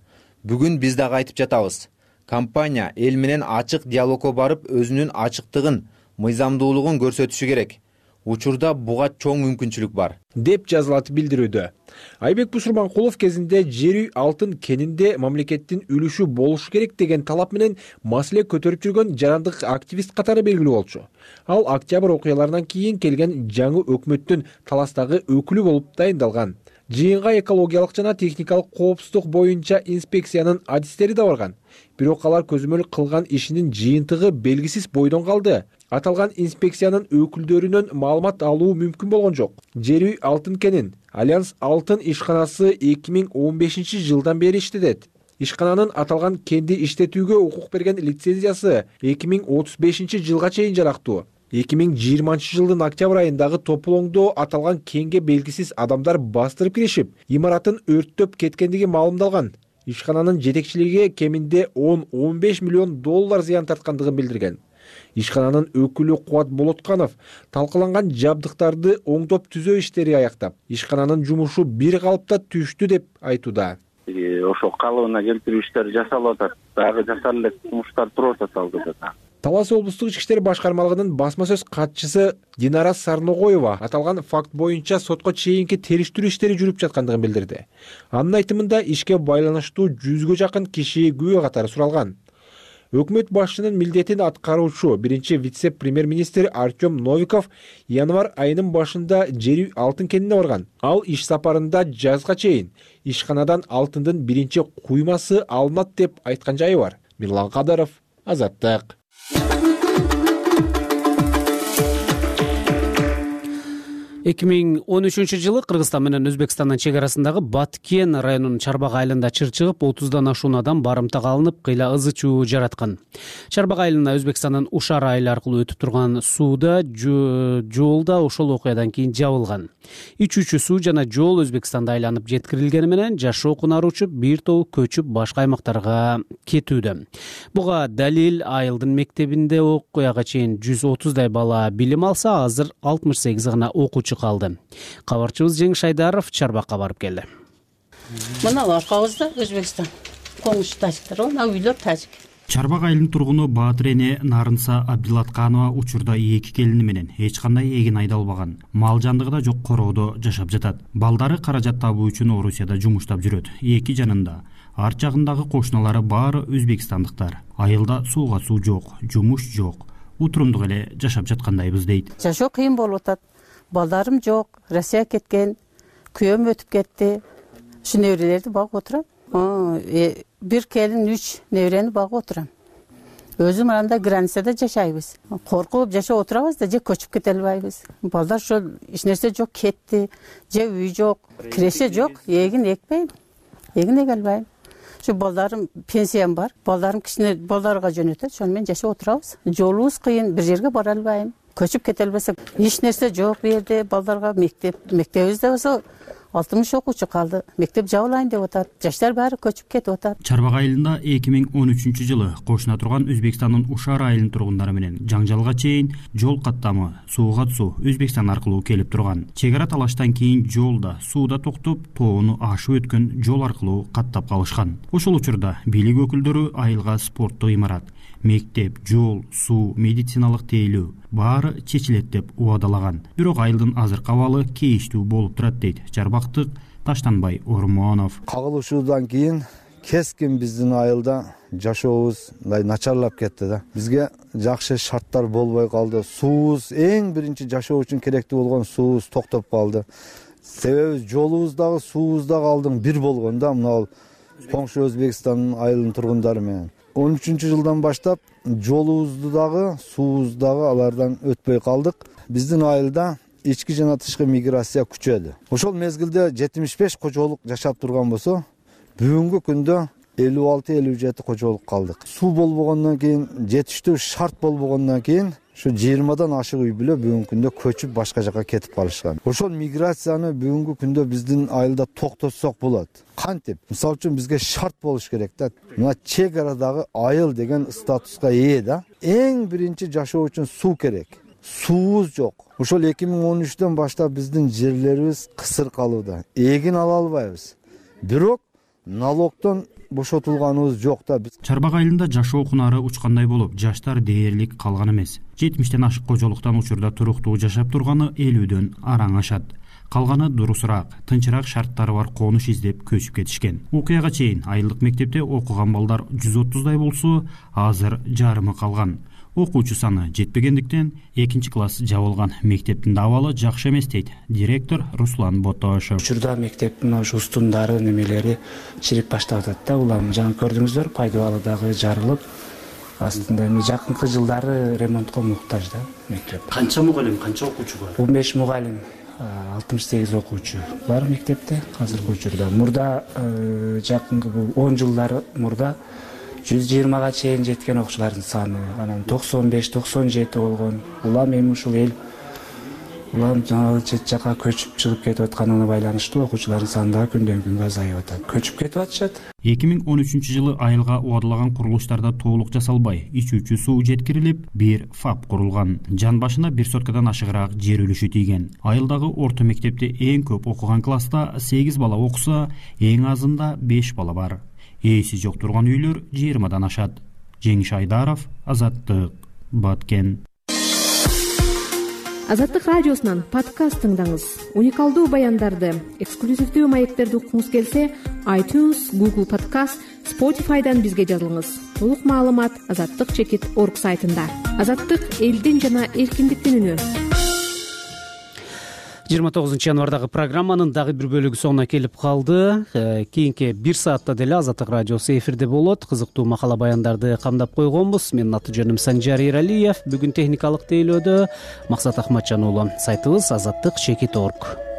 Бүгүн биз дагы айтып жатабыз. Компания эл менен ачык диалогко барып, өзүнүн ачыктыгын, мыйзамдуулугун көрсөтүшү керек. учурда буга чоң мүмкүнчүлүк бар деп жазылат билдирүүдө. Айбек Бусурманкулов кезинде жер үй алтын кенинде мамлекеттин үлүшү болушу керек деген талап менен маселе көтөрүп жүргөн жарандык активист катары белгилүү болчу. Ал октябрь окуяларынан кийин келген жаңы өкмөттүн таластагы өкүлү болуп дайындалган. Жыйынга экологиялык жана техникалык коопсуздук боюнча инспекциянын адистери да барган. Бирок алар көзөмөл кылган ишинин жыйынтыгы белгисиз бойдон калды. Аталган инспекциянын өкүлдөрүнөн маалымат алуу мүмкүн болгон жок. Жер үй алтын кенин Альянс алтын ишканасы 2015 жылдан бери иштетет. Ишкананын аталган кенди иштетүүгө укук берген лицензиясы 2035 жылга чейин жарактуу. 2020 жылдын октябрь айындагы топулоңдо аталган кенге белгисиз адамдар бастырып киришип, имаратын өрттөп кеткендиги маалымдалган. Ишкананын жетекчилиги кеминде 10-15 миллион доллар зыян тарткандыгын билдирген. Ишкананын өкүлү Кубат Болотканов талкаланган жабдыктарды оңдоп түзөө иштери аяктап, ишкананын жумушу бир калыпта түштү деп айтууда. Ошо калыбына келтирүү иштери жасалып атат. Дагы жасалып элек жумуштар туруп атат алдыда. Талас облустук ички иштер башкармалыгынын басма сөз катчысы Динара Сарногоева аталган факт боюнча сотко чейинки териштирүү иштери жүрүп жаткандыгын билдирди. Анын айтымында ишке байланыштуу 100гө жакын киши күбө катары суралган. Өкмөт башчынын милдетин аткаруучу биринчи вице-премьер-министр Артем Новиков январь айынын башында жер үй алтын кенине барган. Ал иш сапарында жазга чейин ишканадан алтындын биринчи куймасы алынат деп айткан жайы бар. Мирлан Кадыров, Азаттык. 2013 жылы Кыргызстан менен Өзбекстандын чек арасындагы Баткен районунун Чарбак айылында чыр чыгып, 30дан ашуун адам барымтага алынып, кыйла ызы чуу жараткан. Чарбак айылына Өзбекстандын Ушар айылы аркылуу өтүп турган сууда жолда ошол окуядан кийин жабылган. Ичүүчү суу жана жол Өзбекстанда айланып жеткирилгени менен жашоо кунары учуп, бир тобу көчүп башка аймактарга кетүүдө. Буга далил айылдын мектебинде окуяга чейин 130дай бала билим алса, азыр 68 гана окуучу калды. Кабарчыбыз Жеңиш Айдаров Чарбакка барып келди. Мына аркабызда Өзбекстан коңуш тажиктер, мына үйлөр тажик. Чарбак айылынын тургуну Баатыр эне Нарынса Абдилатканова учурда 2 келини менен эч кандай эгин айдалбаган, мал жандыгы да жок короодо жашап жатат. Балдары каражат табуу үчүн Орусияда жумуштап жүрөт. Эки жанында арт жагындагы кошуналары баары өзбекстандыктар. Айылда сууга суу жок, жумуш жок. Утурумдук эле жашап жаткандайбыз дейт. Жашоо кыйын болуп атат. Балдарым жок, Россия кеткен, күйөөм өтүп кетти. Ушу неберелерди багып отурам. Бир келин 3 неберени багып отурам. Өзүм анда границада жашайбыз. Коркуп жашап отурабыз да, же көчүп кете албайбыз. Балдар ошол эч нерсе жок, кетти, же үй жок, киреше жок, эгин экпейм. Эгин эге албайм. Şu балдарым пенсиям бар. Балдарым кичине балдарга жөнөтөт. Ошону менен жашап отурабыз. Жолубуз кыйын, бир жерге бара албайм. Көчүп кете албасак, эч нерсе жок бу жерде. Балдарга мектебибизде болсо 60 окуучу калды. Мектеп жабылайын деп атат. Жаштар баары көчүп кетип атат. Чарбак айылында 2013 жылы кошуна турган Өзбекстандын Ушар айылынын тургундары менен жаңжалга чейин жол каттамы сууга суу Өзбекстан аркылуу келип турган. Чек ара талаштан кийин жолда сууда токтоп, тоону ашып өткөн жол аркылуу каттап калышкан. Ошол учурда бийлик өкүлдөрү айылга спорттук имарат, мектеп, жол, суу, медициналык тейлөө баары чечилет деп убадалаган. Бирок айылдын азыркы абалы кейиштүү болуп турат дейт Чарбактык Таштанбай Ормонов. Кагылышуудан кийин кескин биздин айылда жашообуз мындай начарлап кетти да. Бизге жакшы шарттар болбой калды. Суубуз эң биринчи жашоо үчүн керектүү болгон суубуз токтоп калды. Себеби жолубуз дагы суубуз дагы алдың бир болгон да, мына коңшу Өзбекстандын айылынын тургундары менен. 13 жылдан баштап жолубузду дагы, суубузду дагы алардан өтпөй калдык. Биздин айылда ички жана тышкы миграция күчөдү. Ошол мезгилде 75 кожолук жашап турган болсо, бүгүнкү күндө 56-57 кожолук калдык. Суу болбогондон кийин, жетиштүү шарт болбогондон кийин ушу 20дан ашык үй бүлө бүгүнкү күндө көчүп башка жака кетип калышкан. Ошол миграцияны бүгүнкү күндө биздин айылда токтотсок болот. Кантип? Мисалы үчүн бизге шарт болуш керек да. Мына чек арадагы айыл деген статуска ээ да. Эң биринчи жашоо үчүн суу керек. Суубуз жок. Ошол 2013-төн баштап биздин жерлерибиз кысыр калууда. Эгин ала албайбыз. Бирок налогдон бошотулганыбыз жок да. Чарбак айылында жашоо кунары учкандай болуп, жаштар дээрлик калган эмес. 70тен ашык кожолуктан учурда туруктуу жашап турганы 50дөн араң ашат. Калганы дурусураак, тынчыраак шарттары бар конуш издеп көчүп кетишкен. Окуяга чейин айылдык мектепте окуган балдар 130дай болсо, азыр жарымы калган. Окуучу саны жетпегендиктен 2-класс жабылган. Мектептин да абалы жакшы эмес дейт директор Руслан Ботошев. Учурда мектептин ошо устундары немелери чирип баштап атат да. Улам жаңы көрдүңүздөр, пайдубалы дагы жарылып, астында жакынкы жылдары ремонтко муктаж да мектеп. Канча мугалим, канча окуучу бар? 15 мугалим, 68 окуучу бар мектепте азыркы учурда. Мурда жакынкы 10 жылдар мурда 120га чейин жеткен окуучулардын саны, анан 95-97 болгон. Улам эми ушул эл улам жаңы чет жака көчүп чыгып кетип атканына байланыштуу окуучулардын саны да күндөн күнгө азайып атат. Көчүп кетип атышат. 2013-жылы айылга убадылаган курулуштарда толук жасалбай, ичүүчү суу жеткирилип, бир ФАП курулган. Жан башына 1 соткадан ашыгыраак жер үлүшү тийген. Айылдагы орто мектепте эң көп окуган класста 8 бала окуса, эң азында 5 бала бар. Ээси жок турган үйлөр 20дан ашат. Жеңиш Айдаров, Азаттык, Баткен. Азаттык радиосунан подкаст тыңдаңыз. Уникалдуу баяндарды, эксклюзивдүү маектерди уккуңуз келсе, iTunes, Google Podcast, Spotify'дан бизге жазылыңыз. Толук маалымат azattik.org сайтында. Азаттык — элдин жана эркиндиктин үнү. 29 январдагы программанын дагы бир бөлүгү соңуна келип калды. Кийинки 1 саатта деле Азаттык радиосу эфирде болот. Кызыктуу макала баяндарды камдап койгонбуз. Менин аты жөнүм Санжар Эралиев. Бүгүн техникалык тейлөөдө Максат Ахматжан уулу. Сайтыбыз azattik.org.